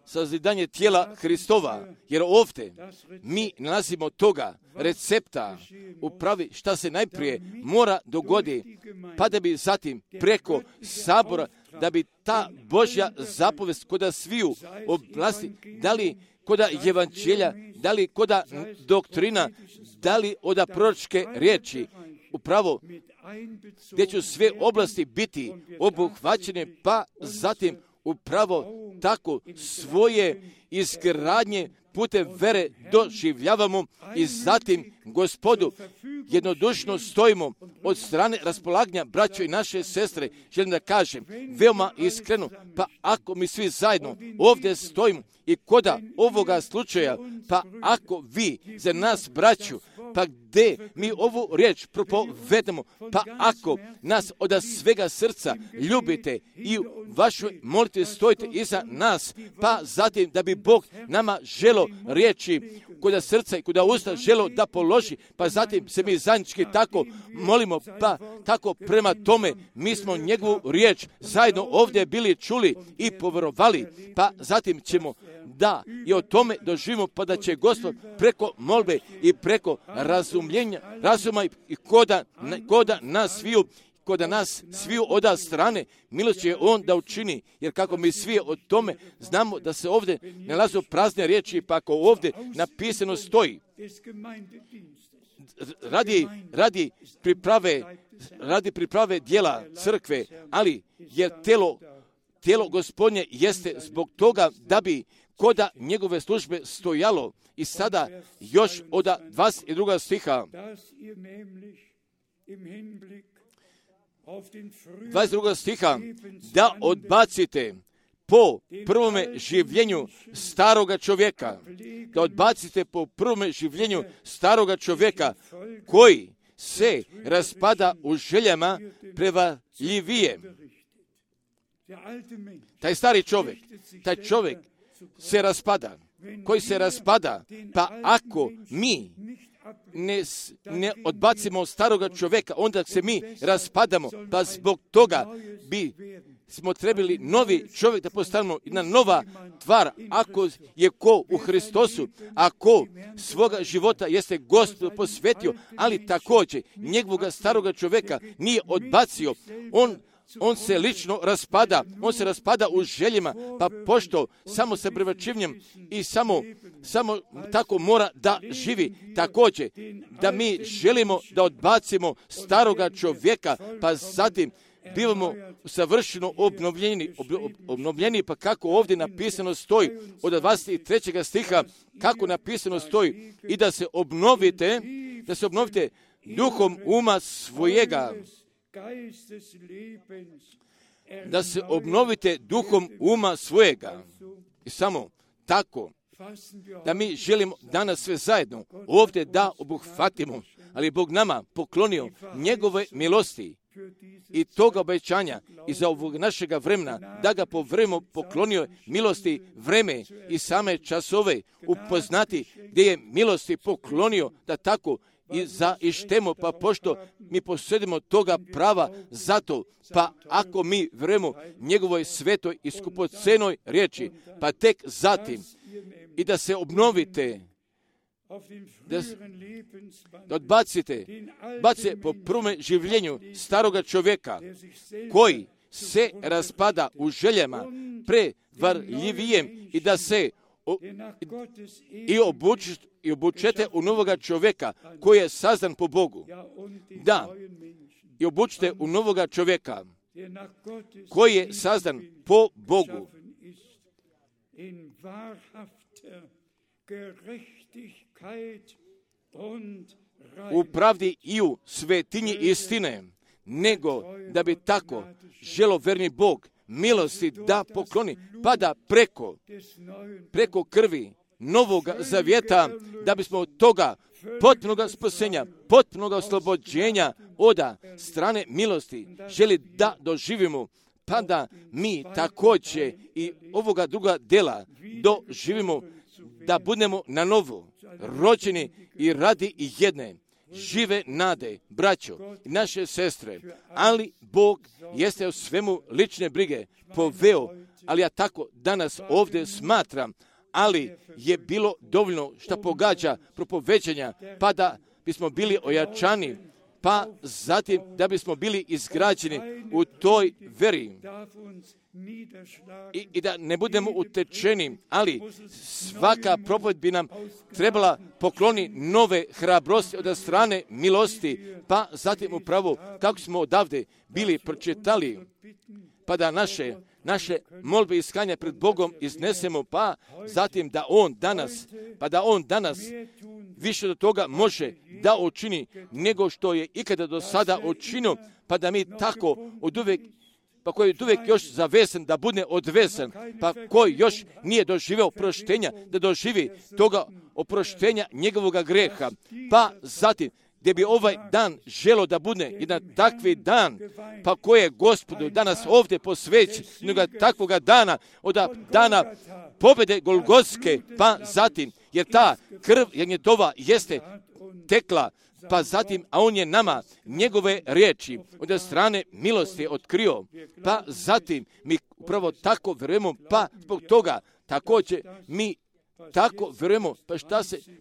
Speaker 1: sazidanje tijela Hristova, jer ovdje mi nalazimo toga recepta u pravi šta se najprije mora dogoditi, pa da bi zatim preko sabora, da bi ta Božja zapovest koda sviju oblasti, da li koda evanđelja, da li koda doktrina, da li oda proročke riječi, upravo gdje će sve oblasti biti obuhvaćene, pa zatim upravo tako svoje izgradnje putem vere doživljavamo i zatim Gospodu jednodušno stojimo od strane raspolaganja braćo i naše sestre. Želim da kažem veoma iskreno, pa ako mi svi zajedno ovdje stojimo i koda ovoga slučaja, pa ako vi za nas braću, pa gdje mi ovu riječ propovedemo, pa ako nas od svega srca ljubite i u vašoj molitvi stojite iza nas, pa zatim da bi Bog nama želo riječi koda srca i koda usta želo da položi, pa zatim se mi zajednički tako molimo, pa tako prema tome mi smo njegovu riječ zajedno ovdje bili čuli i povjerovali, pa zatim ćemo da i o tome doživimo, pa da će Gospod preko molbe i preko razuma i koda nas sviju oda strane, milost će on da učini, jer kako mi svi o tome znamo da se ovdje nalazu prazne riječi, pa ako ovdje napisano stoji, radi priprave dijela crkve, ali jer tijelo Gospodnje jeste zbog toga da bi koda njegove službe stojalo. I sada još od 22. stiha, 22. stiha, da odbacite po prvome življenju staroga čovjeka, koji se raspada u željama prevarljivije. Taj stari čovjek, se raspada, koji se raspada, pa ako mi ne odbacimo staroga čovjeka, onda se mi raspadamo, pa zbog toga bi smo trebali novi čovjek da postanemo jedna nova tvar, ako je ko u Hristosu, ako svoga života jeste Gospod posvetio, ali također njegovoga staroga čovjeka nije odbacio, on se lično raspada, u željama, pa pošto samo sa privačivnjem i samo tako mora da živi. Također, da mi želimo da odbacimo staroga čovjeka, pa zatim bivamo savršeno obnovljeni, pa kako ovdje napisano stoji, od 23. stiha, kako napisano stoji, i da se obnovite duhom uma svojega, da se obnovite duhom uma svojega. I samo tako, da mi želimo danas sve zajedno ovdje da obuhvatimo, ali Bog nama poklonio njegove milosti i toga obećanja i za ovog našega vremena, da ga po vremenu poklonio milosti vreme i same časove upoznati gdje je milosti poklonio, da tako i zaištemo, pa pošto mi posjedimo toga prava zato, pa ako mi vremo njegovoj svetoj i skupocenoj riječi, pa tek zatim i da se obnovite, da odbacite po prvome življenju staroga čovjeka, koji se raspada u željama prevarljivijem, i da se i obučete u novoga čovjeka koji je sazdan po Bogu. Da, i obučite u novoga čovjeka koji je sazdan po Bogu. U pravdi i u svetinji istine, nego da bi tako želoverni Bog milosti da pokloni, pa da preko krvi novog zavjeta, da bismo od toga potpunog spasenja, potpunog oslobođenja od strane milosti želi da doživimo, pa da mi također i ovoga druga dela doživimo, da budemo na novo rođeni i radi i jedne žive nade, braćo i naše sestre, ali Bog jeste u svemu lične brige poveo, ali ja tako danas ovdje smatram, ali je bilo dovoljno što pogađa propoveđenja, pa da bismo bili ojačani, pa zatim da bismo bili izgrađeni u toj veri i da ne budemo utečeni, ali svaka propoved bi nam trebala pokloni nove hrabrosti od strane milosti, pa zatim upravo kako smo odavde bili pročitali, pa da naše molbe i iskanja pred Bogom iznesemo, pa zatim da On danas više do toga može da učini nego što je ikada do sada učinio, pa da mi tako oduvek, pa koji je uvijek još zavesan da bude odvesan, pa koji još nije doživio oproštenja, da doživi toga oproštenja njegovog greha, pa zatim gdje bi ovaj dan želo da bude jedan takvi dan, pa koje je Gospodu danas ovdje posveći, jednoga takvoga dana, od dana pobjede Golgotske, pa zatim, jer ta krv jagnjetova jeste tekla, pa zatim, a on je nama njegove riječi od strane milosti otkrio, pa zatim mi upravo tako vjerujemo, pa zbog toga također mi tako vjerujemo,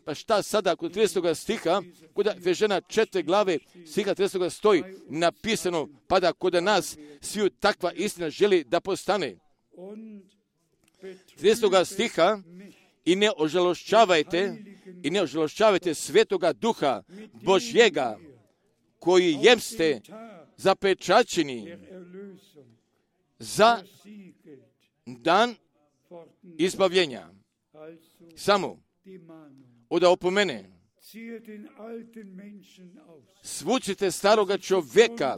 Speaker 1: pa šta sada kod 30. stiha, kod Efežana 4. glave stiha 30. stoji napisano, pa da kod nas sviju takva istina želi da postane. 30. stiha, i ne ožalošćavajte Svetoga Duha Božjega, koji jeste zapečaćeni za dan izbavljenja. Samo od opomene, svucite starog čovjeka,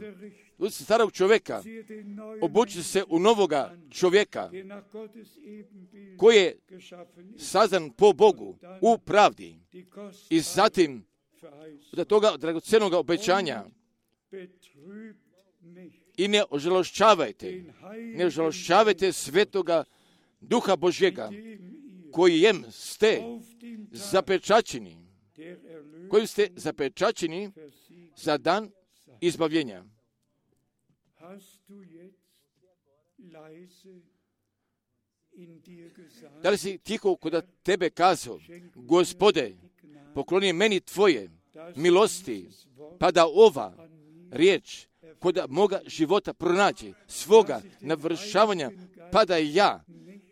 Speaker 1: obučite se u novoga čovjeka, koji je sazdan po Bogu u pravdi, i zatim od toga dragocenog obećanja, i ne ožalošćavajte Svetoga Duha Božjega, kojem ste zapečaćeni za dan izbavljenja. Da li si tiho kod tebe kazao, Gospode, pokloni meni tvoje milosti, pa da ova riječ kod moga života pronađe svoga navršavanja, pa da ja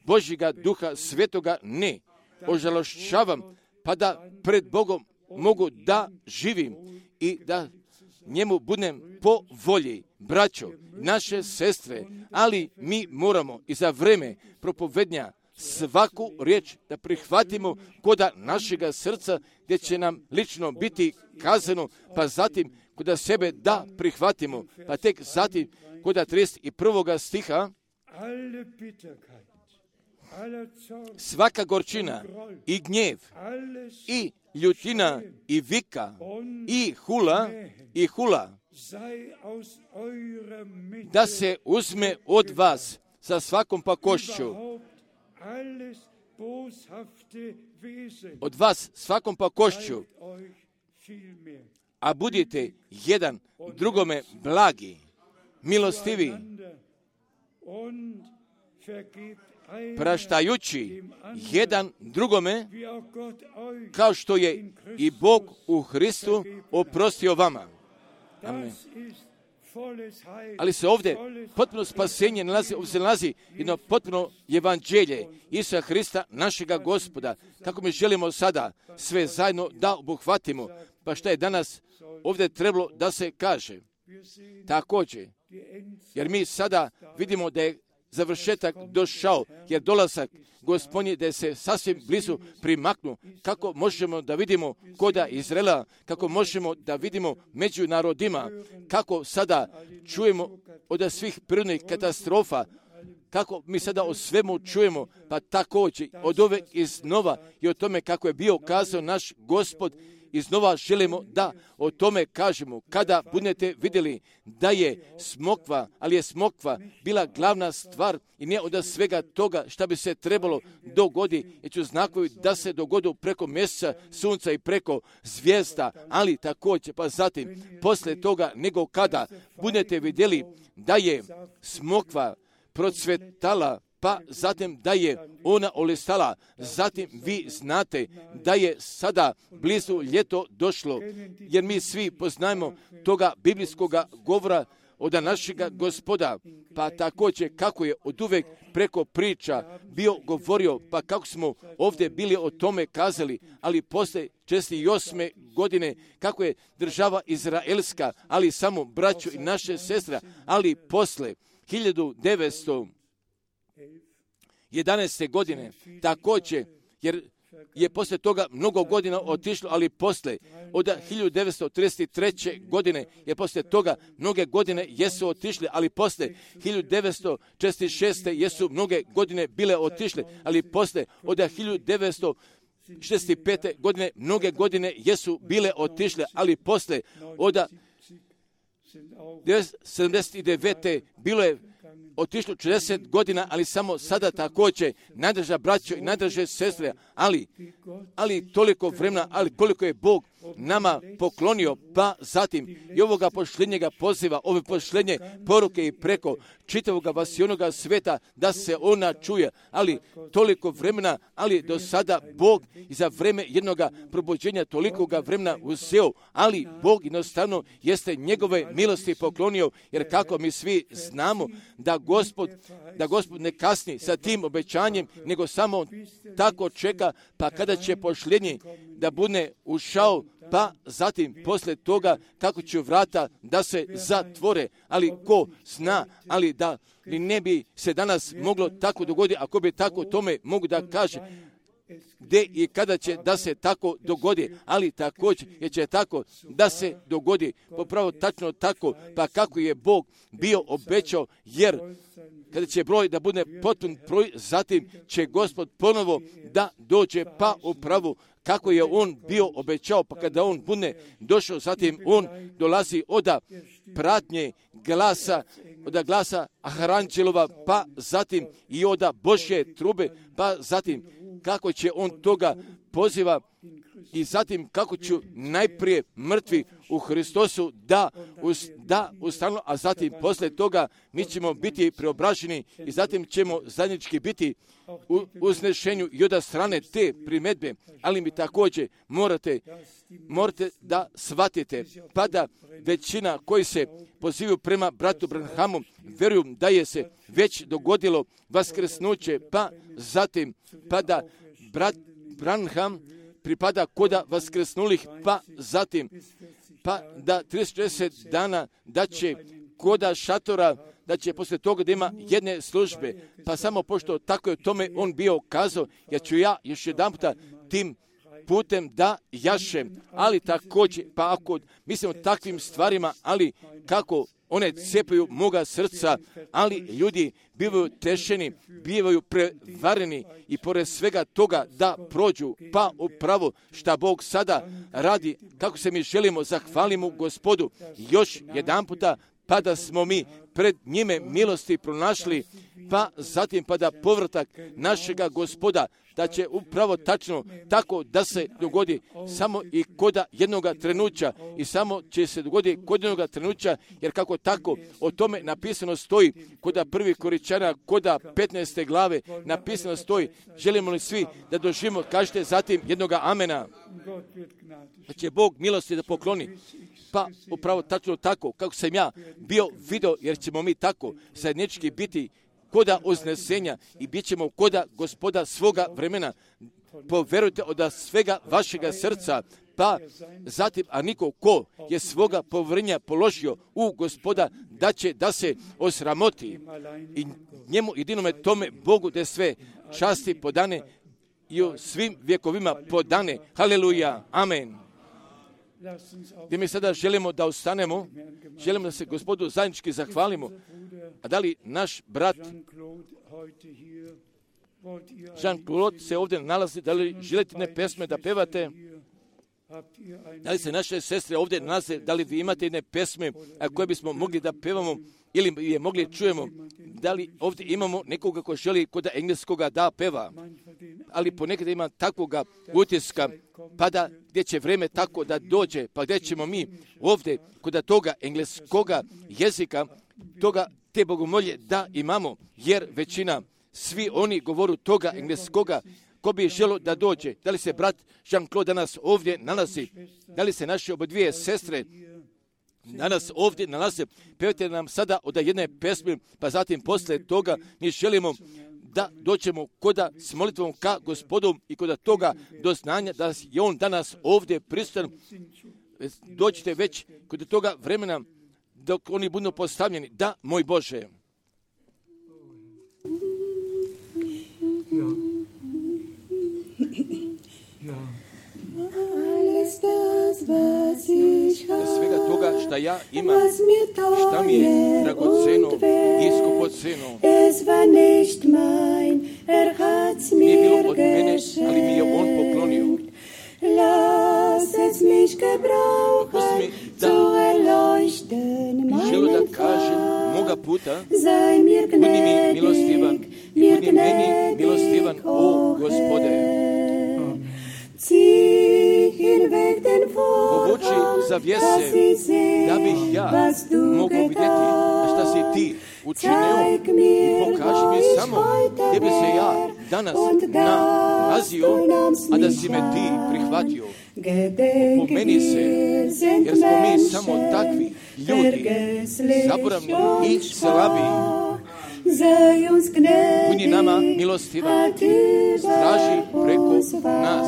Speaker 1: Božjega Duha Svetoga ne ožalošćavam, pa da pred Bogom mogu da živim i da njemu budem po volji. Braćo, naše sestre, ali mi moramo i za vreme propovednja svaku riječ da prihvatimo koda našega srca, gdje će nam lično biti kazano, pa zatim koda sebe da prihvatimo, pa tek zatim koda 31. stiha, svaka gorčina i gnjev i ljutina i vika i hula da se uzme od vas sa svakom pakošću, od vas svakom pakošću, a budite jedan drugome blagi, milostivi, praštajući jedan drugome, kao što je i Bog u Hristu oprostio vama. Amen. Ali se ovdje potpuno spasenje nalazi jedno potpuno evanđelje Isusa Hrista, našega Gospoda. Kako mi želimo sada sve zajedno da obuhvatimo, pa šta je danas ovdje trebalo da se kaže. Također, jer mi sada vidimo da je završetak došao, jer dolazak Gospodnji da se sasvim blizu primaknu. Kako možemo da vidimo koda Izraela, kako možemo da vidimo među narodima, kako sada čujemo od svih prirodnih katastrofa, kako mi sada o svemu čujemo, pa također od ove iznova i o tome kako je bio kazao naš Gospod, iznova želimo da o tome kažemo. Kada budete vidjeli da je smokva, ali je smokva bila glavna stvar i ne od svega toga šta bi se trebalo dogodi, jer ću znakovi da se dogodu preko mjeseca, sunca i preko zvijezda, ali također pa zatim poslije toga nego kada budete vidjeli da je smokva procvetala, pa zatim da je ona olistala, zatim vi znate da je sada blizu ljeto došlo, jer mi svi poznajemo toga biblijskog govora od našega Gospoda, pa također kako je oduvek preko priča bio govorio, pa kako smo ovdje bili o tome kazali, ali poslije 48. godine kako je država izraelska, ali samo braćo i naše sestre, ali posle 1911. godine, također, jer je poslije toga mnogo godina otišlo, ali poslije, od 1933. godine, jer poslije toga mnoge godine jesu otišle, ali poslije 1946. jesu mnoge godine bile otišle, ali poslije od 1965. godine mnoge godine jesu bile otišle, ali poslije od 1979. bilo je otišlo 40 godina, ali samo sada također, najdrža braćo i najdrže sestre, ali toliko vremena, ali koliko je Bog nama poklonio, pa zatim i ovoga pošljenjega poziva, ove pošljenje poruke i preko čitavoga vasionoga sveta, da se ona čuje, ali toliko vremena, ali do sada Bog i za vreme jednoga probuđenja tolikoga vremena uzeo, ali Bog jednostavno jeste njegove milosti poklonio, jer kako mi svi znamo da Gospod ne kasni sa tim obećanjem, nego samo tako čeka, pa kada će pošljenje da bude ušao, pa zatim poslije toga kako će vrata da se zatvore, ali ko zna, ali da li ne bi se danas moglo tako dogoditi, ako bi tako tome mogu da kaže, gdje i kada će da se tako dogodi, ali također je će tako da se dogodi, popravo tačno tako, pa kako je Bog bio obećao, jer kada će broj da bude potpun broj, zatim će Gospod ponovo da dođe, pa upravo kako je on bio obećao, pa kada on bude došao, zatim on dolazi od pratnje glasa, od glasa Aharanđelova, pa zatim i od Božje trube, pa zatim kako će on toga poziva i zatim kako će najprije mrtvi u Hristosu da ustanu, a zatim poslije toga mi ćemo biti preobraženi i zatim ćemo zajednički biti u uznešenju i od strane te primedbe, ali mi također morate da shvatite, pa da većina koji se pozivaju prema bratu Branhamu vjeruju da je se već dogodilo vaskrsnuće, pa zatim pa da brat Branham pripada koda vaskrsnulih, pa zatim pa da 30 dana da će koda šatora, da će poslije toga da ima jedne službe, pa samo pošto tako je tome on bio kazao, jer ću ja još jedan puta tim putem da jašem, ali također, pa ako mislim o takvim stvarima, ali kako one cepaju moga srca, ali ljudi bivaju tešeni, bivaju prevareni i pored svega toga da prođu, pa upravo šta Bog sada radi, kako se mi želimo, zahvalimo Gospodu još jedan puta, pa da smo mi pred njime milosti pronašli, pa zatim pa da povratak našega Gospoda, da će upravo tačno tako da se dogodi samo i koda jednoga trenuća i samo će se dogoditi kod jednoga trenuća, jer kako tako o tome napisano stoji koda 1. Korinćana, koda 15. glave napisano stoji, želimo li svi da doživimo, kažete zatim jednoga amena, da će Bog milosti da pokloni. Pa upravo tačno tako kako sam ja bio video, jer ćemo mi tako zajednički biti koda uznesenja i bit ćemo koda Gospoda svoga vremena. Poverujte od svega vašega srca, pa zatim, a niko ko je svoga poverenja položio u Gospoda, da će da se osramoti i njemu jedinome tome Bogu da sve časti podane i u svim vjekovima podane. Haleluja, amen. gdje mi sada želimo da ostanemo, želimo da se Gospodu zajednički zahvalimo. A da li naš brat Jean-Claude se ovdje nalazi, da li želite ne pesme da pevate? Da li se naše sestre ovdje nalaze, da li vi imate jedne pesme koje bismo mogli da pevamo ili je mogli čujemo? Da li ovdje imamo nekoga ko želi kod engleskoga da peva? Ali ponekad ima takvoga utiska, pa da gdje će vreme tako da dođe, pa gdje ćemo mi ovdje kod toga engleskoga jezika, te bogomolje da imamo, jer većina, svi oni govoru toga engleskoga, ko bi želo da dođe. Da li se brat Jean-Claude danas ovdje nalazi? Da li se naše obadvije sestre danas ovdje nalaze? Pevajte nam sada od jedne pesme, pa zatim posle toga mi želimo da dođemo koda s molitvom ka Gospodu i koda toga doznanja da je on danas ovdje prisutan. Dođite već kod toga vremena dok oni budu postavljeni. Da, moj Bože. Svega toga šta ja imam, šta mi je dragoceno i skupoceno, nije bilo od mene, ali mi je on poklonio. Pusti mi da želu da kažem moga puta, budi mi milostivan i budi meni milostivan, o Gospode. Povuči zavjese, da bih ja mogao vidjeti šta si ti učinio i pokaži mi samo gdje bi se ja danas nalazio, a da si me ti prihvatio. Pomeni se, jer smo mi samo takvi ljudi, zaboravni i slabi. Budi nama milostivan, straži preko nas.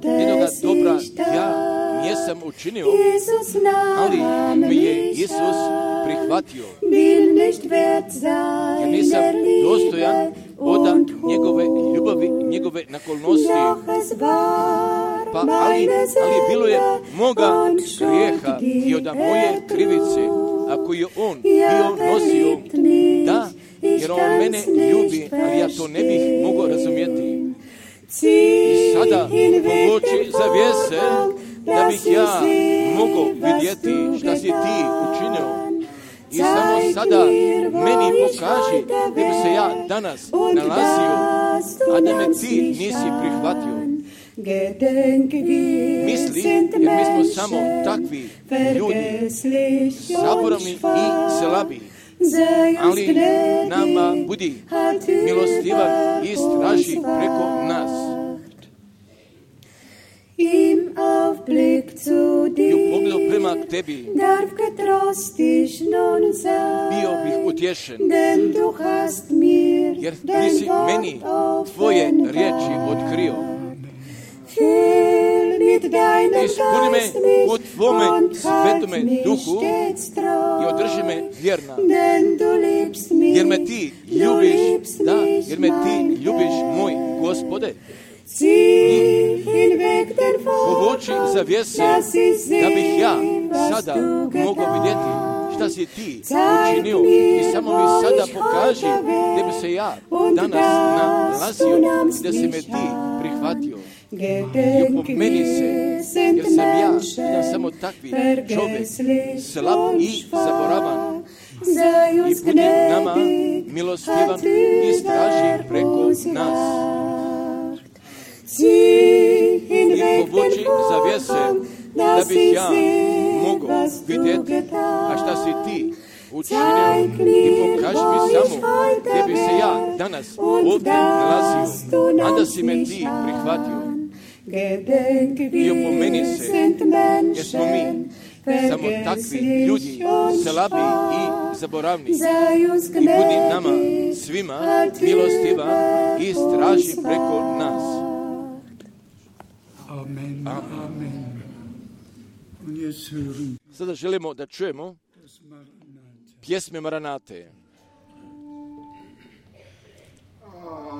Speaker 1: Jednoga dobra ja nisam učinio, ali mi je Isus prihvatio. Ja nisam dostojan od njegove ljubavi, njegove naklonosti. Pa ali bilo je moga grijeha i od moje krivice, ako je on bio nosio, da, jer on mene ljubi, ali ja to ne bih mogao razumjeti. I sada povuči zavjese, da bih ja mogao vidjeti šta si ti učinio. I samo sada meni pokaži gdje bi se ja danas nalazio, a da me ti nisi prihvatio. Misli, jer mi smo samo takvi ljudi, zaboravni i slabi. Ali nama budi milostivan i straži preko nas. I u pogledu prema tebi bio bih utješen, jer ti si meni tvoje riječi otkrio. Ispuni me u tvome svetome duhu i održi me vjerna, jer me ti ljubiš, da, jer me ti ljubiš, moj Gospode. Povuči zavjese, da bih ja sada mogao vidjeti šta si ti učinio i samo mi sada pokaži gdje bi se ja danas nalazio i da si me ti prihvatio. I opomeni se, jer sam ja samo takvi čovjek, slab i zaboravan. I budi nama milostivan i straži preko nas. I povuči zavjese, da bih ja mogao vidjeti a šta si ti učinio i pokaži mi samo gdje bi se ja danas ovdje nalazio, a da si me ti prihvatio. I opomeni se, jer smo mi samo takvi ljudi, slabi i zaboravni. I budi nama svima milostivan i straži preko nas.
Speaker 2: Amen. Amen.
Speaker 1: Sada želimo da čujemo pjesme Maranate.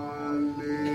Speaker 3: Alleluja.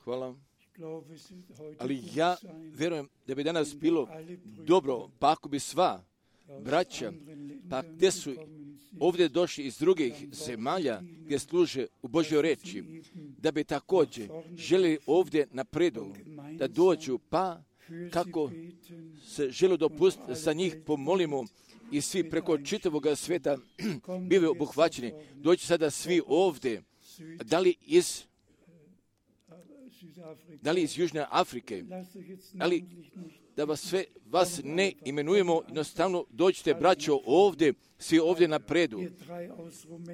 Speaker 1: Hvala. Ali ja vjerujem da bi danas bilo dobro, pa ako bi sva braća, pa gdje su ovdje došli iz drugih zemalja gdje služe u Božjoj reči, da bi također želi ovdje napredu, da dođu, pa kako se želi dopustiti, za njih pomolimo i svi preko čitavog svijeta bili obuhvaćeni. Dođu sada svi ovdje, da li iz Južne Afrike, ali da vas ne imenujemo, jednostavno dođite, braćo, ovdje, svi ovdje napredu.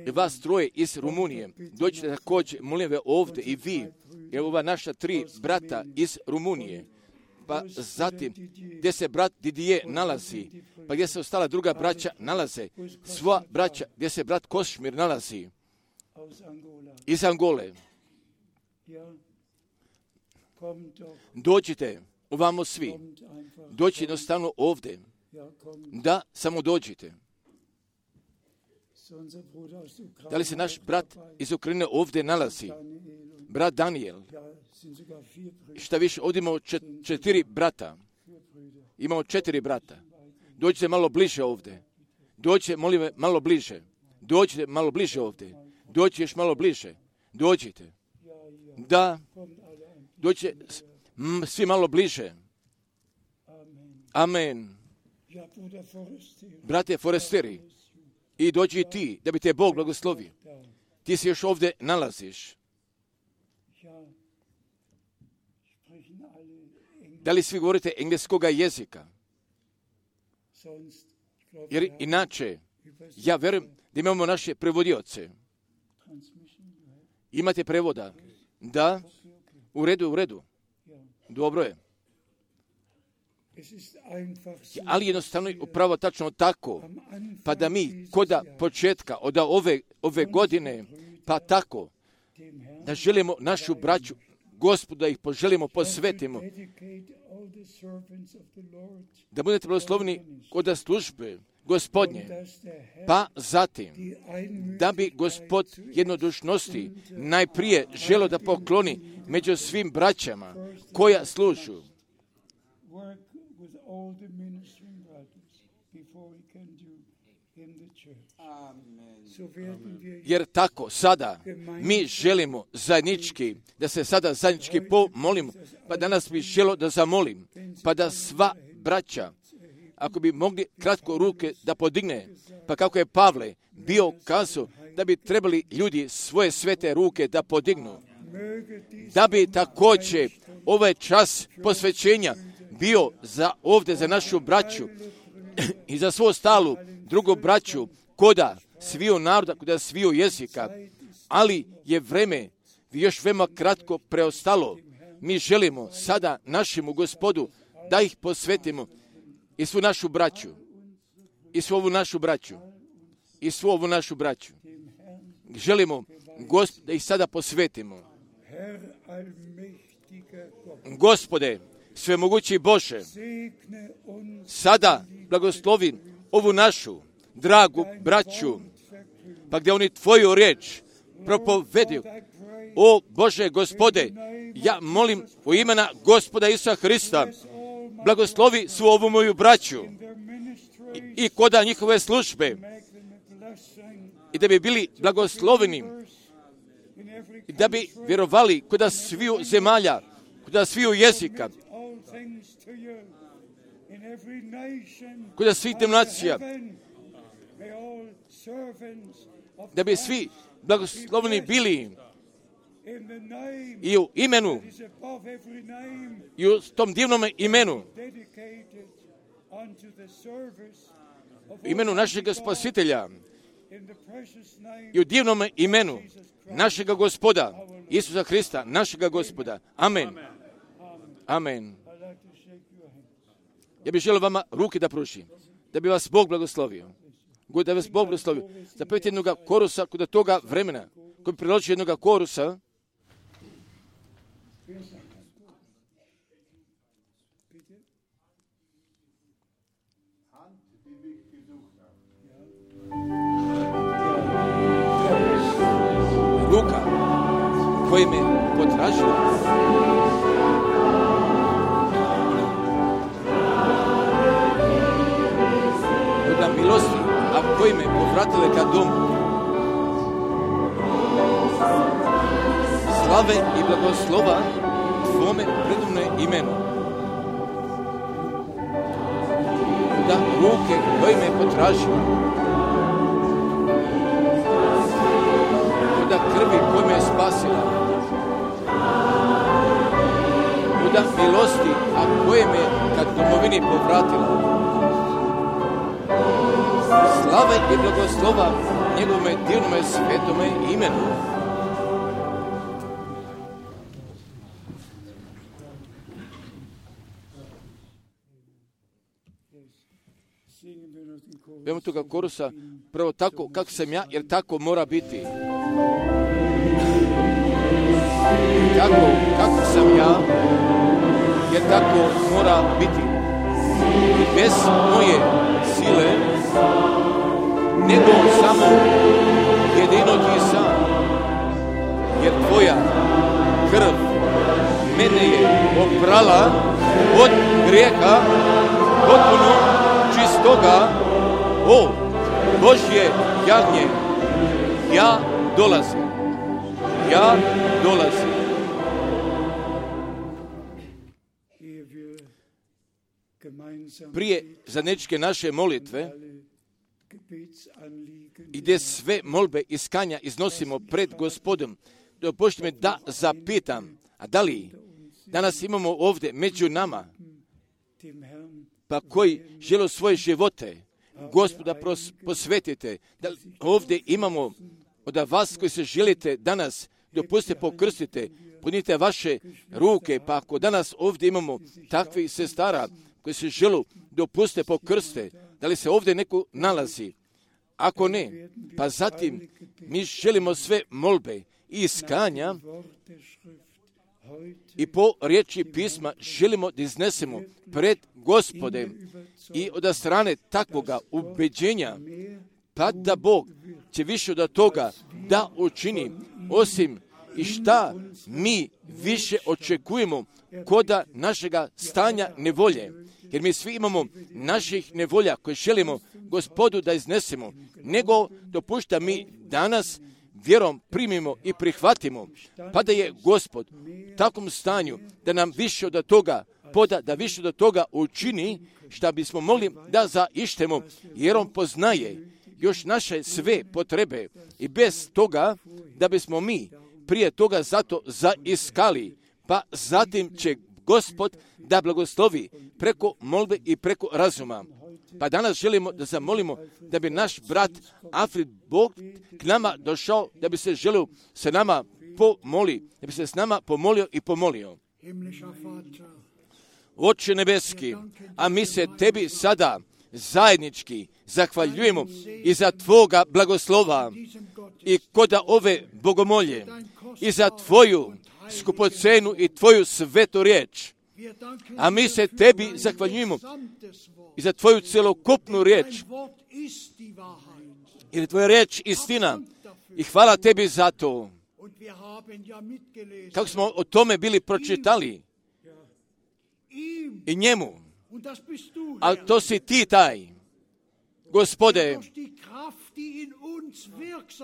Speaker 1: I vas troje iz Rumunije, dođite također, molim ve, ovdje i vi, jer ova naša 3 brata iz Rumunije, pa zatim gdje se brat Didier nalazi, pa gdje se ostala druga braća nalaze, sva braća gdje se brat Košmir nalazi, iz Angole. Dođite, ovamo svi, dođite jednostavno ovdje, da samo dođite. Da li se naš brat iz Ukrajine ovdje nalazi? Brat Daniel. Šta više, ovdje imamo 4 brata. Imamo 4 brata. Dođite malo bliže ovdje. Dođite, molim me, malo bliže. Dođite malo bliže ovdje. Dođite još malo bliže. Dođite. Da. Dođite svi malo bliže. Amen. Brate Foresteri, i dođi i ti, da bi te Bog blagoslovio. Ti se još ovdje nalaziš. Da li svi govorite engleskoga jezika? Jer inače, ja vjerujem da imamo naše prevodioce. Imate prevoda? Da? U redu. Dobro je. Ali jednostavno upravo tačno tako, pa da mi koda početka od ove godine, pa tako, da želimo našu braću, Gospodu, da ih poželimo, posvetimo, da budete blagosloveni kod službe Gospodnje, pa zatim, da bi Gospod jednodušnosti najprije želio da pokloni među svim braćama koja služu. Jer tako sada mi želimo zajednički, da se sada zajednički pomolimo, pa danas bih želio da zamolim, pa da sva braća, ako bi mogli kratko ruke da podigne, pa kako je Pavle bio kazao da bi trebali ljudi svoje svete ruke da podignu, da bi također ovaj čas posvećenja bio ovdje za našu braću i za svu ostalu drugu braću koda sviju naroda, koda sviju jezika, ali je vreme još veoma kratko preostalo. Mi želimo sada našemu Gospodu da ih posvetimo i svu našu braću, i svu ovu našu braću. Želimo da ih sada posvetimo. Gospode, svemogući Bože, sada blagoslovi ovu našu dragu braću, pa gdje oni Tvoju riječ propovedaju. O Bože, Gospode, ja molim u imena Gospoda Isusa Hrista, blagoslovi svu ovu moju braću i koda njihove službe i da bi bili blagosloveni i da bi vjerovali koda sviju zemalja, koda sviju jezika, koda svih nacija, da bi svi blagosloveni bili i u imenu, i u tom divnom imenu, imenu našeg Spasitelja, i u divnom imenu našega Gospoda, Isusa Hrista, našega Gospoda. Amen. Amen. Ja bih želio vama ruke da pružim, da bi vas Bog blagoslovio. Da vas Bog blagoslovio. Zapevite jednoga korusa kod toga vremena, koji bi priločio jednoga korusa. Luka, koji me potražila. Kuda milosti, a koji me povratile ka domu. Slave i blagoslova Tvome predivne imenu. Da ruke koje me potražila, da krvi koje me spasila, da milosti, a koje me kad domovini povratila. Slave i blagoslova njegovome divnome svetome imenu. Vemo toga korusa, prvo tako kako sam ja, jer tako mora biti. Kako sam ja, jer tako mora biti. I bez moje sile, nego samo jedino ti sam, jer tvoja krv mene je oprala od grijeha, potpuno čistoga. O, Božje jagnje, ja dolazim. Prije zajedničke naše molitve, i gdje sve molbe i skanja iznosimo pred Gospodom, dopustite mi da zapitam, a da li danas imamo ovdje među nama, pa koji žele svoje živote Gospoda posvetite, da ovdje imamo od vas koji se želite danas, dopustite pokrstite, podnite vaše ruke, pa ako danas ovdje imamo takvih sestara koji se žele, dopustite pokrste, da li se ovdje neko nalazi? Ako ne, pa zatim mi želimo sve molbe i iskanja i po riječi pisma želimo da iznesemo pred Gospodem i od strane takvoga ubeđenja, pa da Bog će više od toga da učini, osim i šta mi više očekujemo koda našega stanja nevolje. Jer mi svi imamo naših nevolja koje želimo Gospodu da iznesemo, nego dopušta mi danas vjerom primimo i prihvatimo, pa da je Gospod u takvom stanju da nam više od toga poda, da više od toga učini šta bismo mogli da zaištemo, jer on poznaje još naše sve potrebe i bez toga da bismo mi prije toga zato zaiskali, pa zatim će Gospod da blagoslovi preko molbe i preko razuma. Pa danas želimo da zamolimo da bi naš brat Alfred Bog k nama došao, da bi se želio sa nama pomoli, da bi se s nama pomolio i pomolio. Oče nebeski, a mi se tebi sada zajednički zahvaljujemo i za tvoga blagoslova i koda ove bogomolje i za tvoju skupocenu i tvoju svetu riječ. A mi se tebi zahvaljujemo i za tvoju celokupnu riječ. Jer je tvoja riječ istina i hvala tebi za to. Kako smo o tome bili pročitali i njemu, ali to si ti taj, Gospode,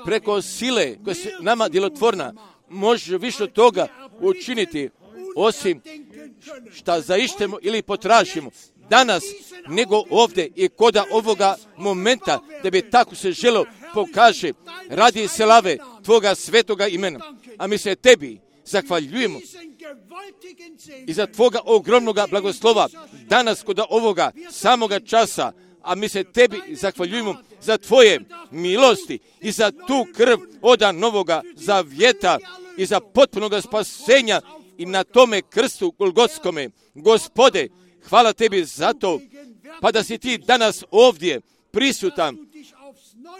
Speaker 1: preko sile koja se nama djelotvorna, može više od toga učiniti, osim šta zaištemo ili potražimo danas, nego ovdje i koda ovoga momenta, da bi tako se želo pokaže radi slave tvoga svetoga imena. A mi se tebi zahvaljujemo i za tvoga ogromnoga blagoslova danas kod ovoga samoga časa, a mi se tebi zahvaljujemo za tvoje milosti i za tu krv oda novoga zavjeta i za potpunoga spasenja i na tome krstu Golgotskome. Gospode, hvala tebi za to, pa da si ti danas ovdje prisutan,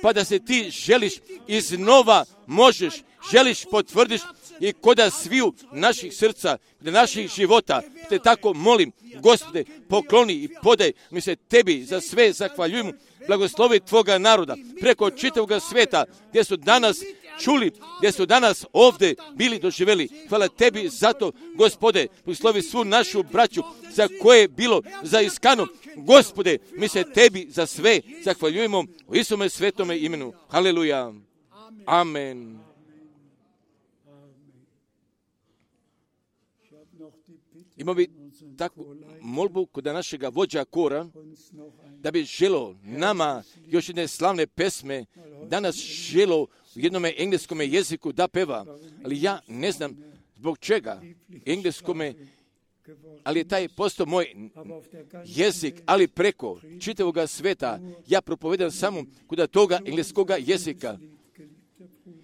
Speaker 1: pa da se ti želiš iznova možeš, želiš potvrdiš i koda sviju naših srca, naših života, te tako molim, Gospode, pokloni i podaj, mi se tebi za sve zahvaljujemo, blagoslovi tvoga naroda, preko čitavoga sveta, gdje su danas čuli, gdje su danas ovdje bili doživjeli. Hvala tebi zato, Gospode, poslovi svu našu braću za koje je bilo zaiskano. Gospode, mi se tebi za sve zahvaljujemo u Isuse svetome imenu. Haleluja. Amen. Imamo bi takvu molbu kod našega vođa kora, da bi želo nama još jedne slavne pesme, danas želo u jednom engleskom jeziku da peva, ali ja ne znam zbog čega engleskome, ali je taj postao moj jezik, ali preko čitavoga sveta ja propovedam samo kod toga engleskoga jezika.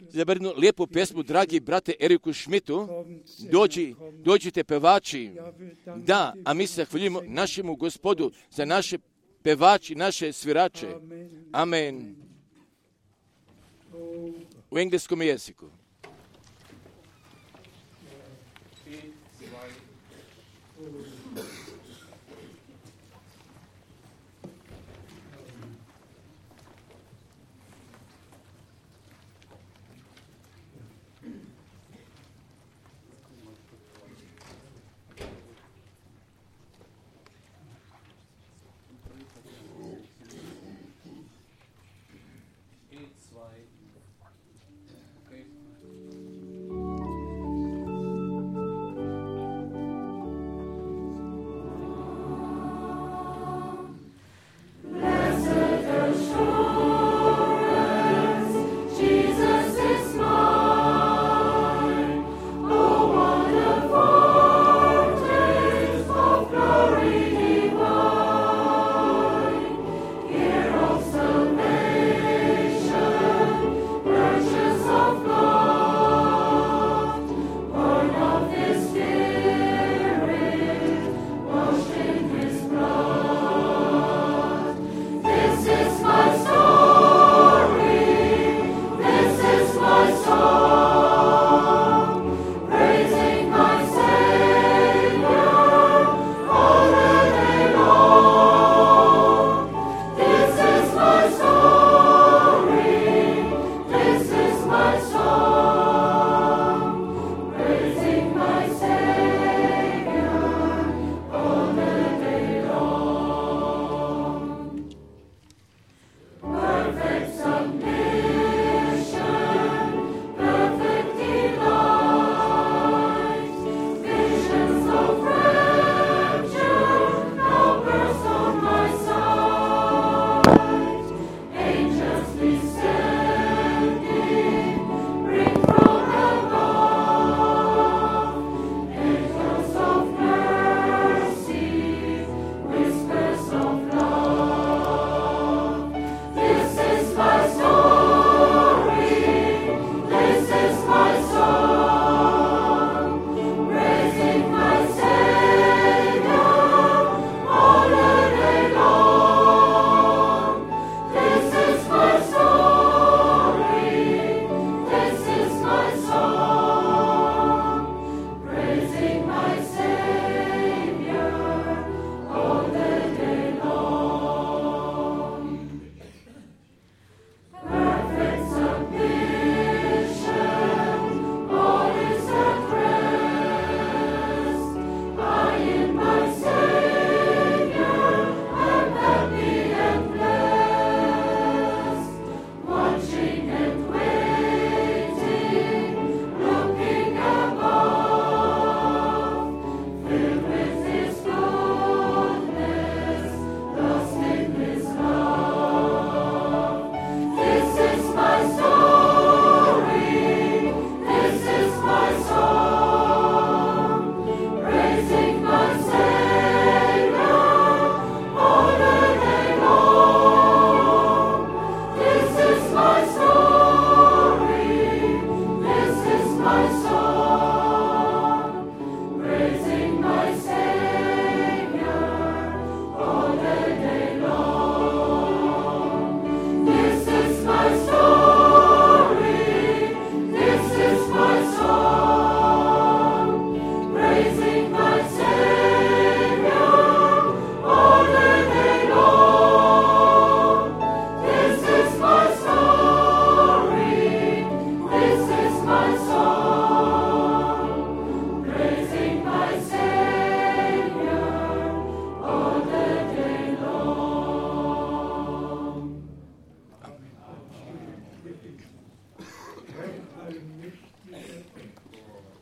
Speaker 1: Za jednu lijepu pesmu, dragi brate Eriku Schmidtu, dođite pevači, da, a mi se zahvaljujemo našemu Gospodu za naše pevači, naše svirače. Amen. U engleskom jeziku.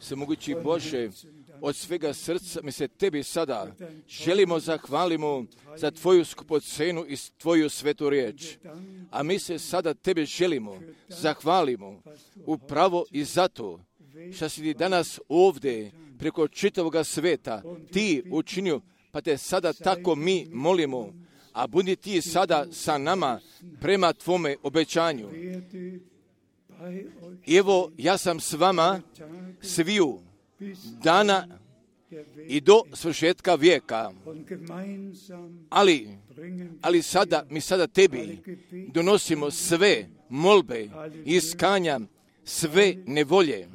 Speaker 1: Svemogući Bože, od svega srca mi se Tebi sada želimo zahvalimo za Tvoju skupocenu i Tvoju svetu riječ. A mi se sada Tebe želimo zahvalimo upravo i zato što si Ti danas ovdje preko čitavoga sveta Ti učinio, pa Te sada tako mi molimo, a budi Ti sada sa nama prema Tvome obećanju. I evo, ja sam s vama sviju dana i do svršetka vijeka. Ali sada, mi sada Tebi donosimo sve molbe, iskanja, sve nevolje,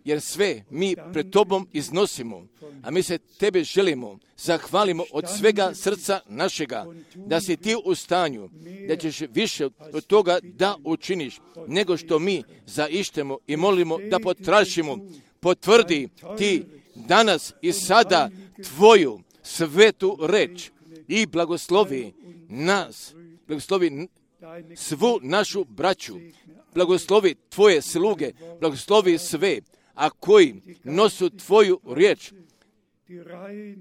Speaker 1: jer sve mi pred Tobom iznosimo, a mi se Tebe želimo, zahvalimo od svega srca našega, da si Ti u stanju, da ćeš više od toga da učiniš, nego što mi zaištemo i molimo da potražimo. Potvrdi Ti danas i sada Tvoju svetu reč i blagoslovi nas, blagoslovi svu našu braću, blagoslovi Tvoje sluge, blagoslovi sve, a koji nosu Tvoju riječ,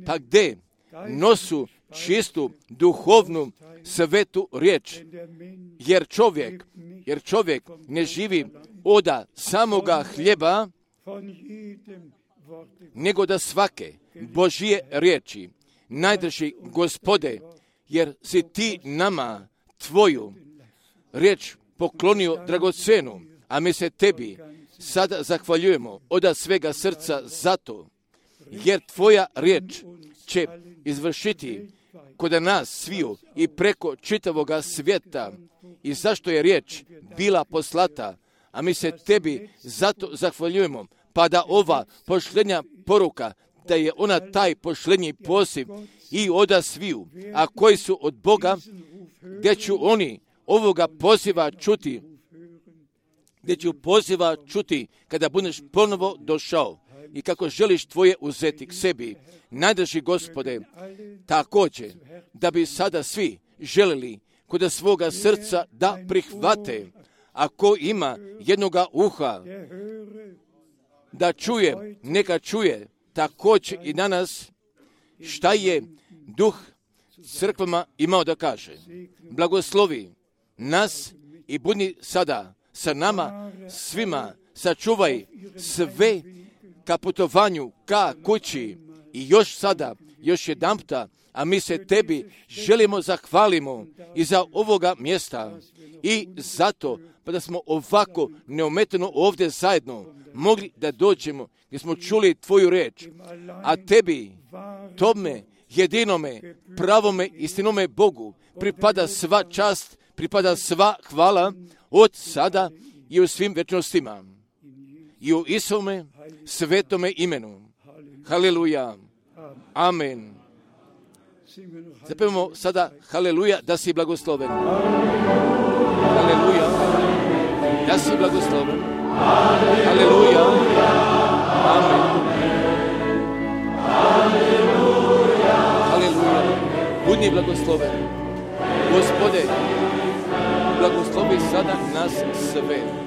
Speaker 1: pa gdje nosu čistu, duhovnu, svetu riječ, jer čovjek ne živi od samoga hljeba, nego da svake Božje riječi. Najdrži Gospode, jer si Ti nama Tvoju riječ poklonio dragocenu, a mi se Tebi sada zahvaljujemo od svega srca zato, jer Tvoja riječ će izvršiti kod nas sviju i preko čitavoga svijeta. I zašto je riječ bila poslata, a mi se Tebi zato zahvaljujemo, pa da ova pošljenja poruka, da je ona taj pošljenji poziv i od sviju, a koji su od Boga, gdje ću oni ovoga poziva čuti, gdje ću poziva čuti kada budeš ponovo došao i kako želiš Tvoje uzeti k sebi. Najdrži Gospode, također da bi sada svi želili kod svoga srca da prihvate, ako ima jednoga uha da čuje, neka čuje također i danas šta je Duh crkvama imao da kaže. Blagoslovi nas i budi sada sa nama svima, sačuvaj sve ka putovanju, ka kući i još sada, još jedanputa, a mi se Tebi želimo zahvalimo i za ovoga mjesta i zato pa da smo ovako neometano ovdje zajedno mogli da dođemo gdje smo čuli Tvoju reč, a Tebi, Tome, jedinome, pravome, istinome Bogu pripada sva čast, pripada sva hvala od sada i u svim večnostima. I u Isuvome svetome imenu. Haleluja. Amen. Zapevamo sada haleluja, da si blagosloven. Haleluja, da si blagosloven. Haleluja. Amen. Haleluja. Budi blagosloven. Gospode, blagoslovi sada nas sve.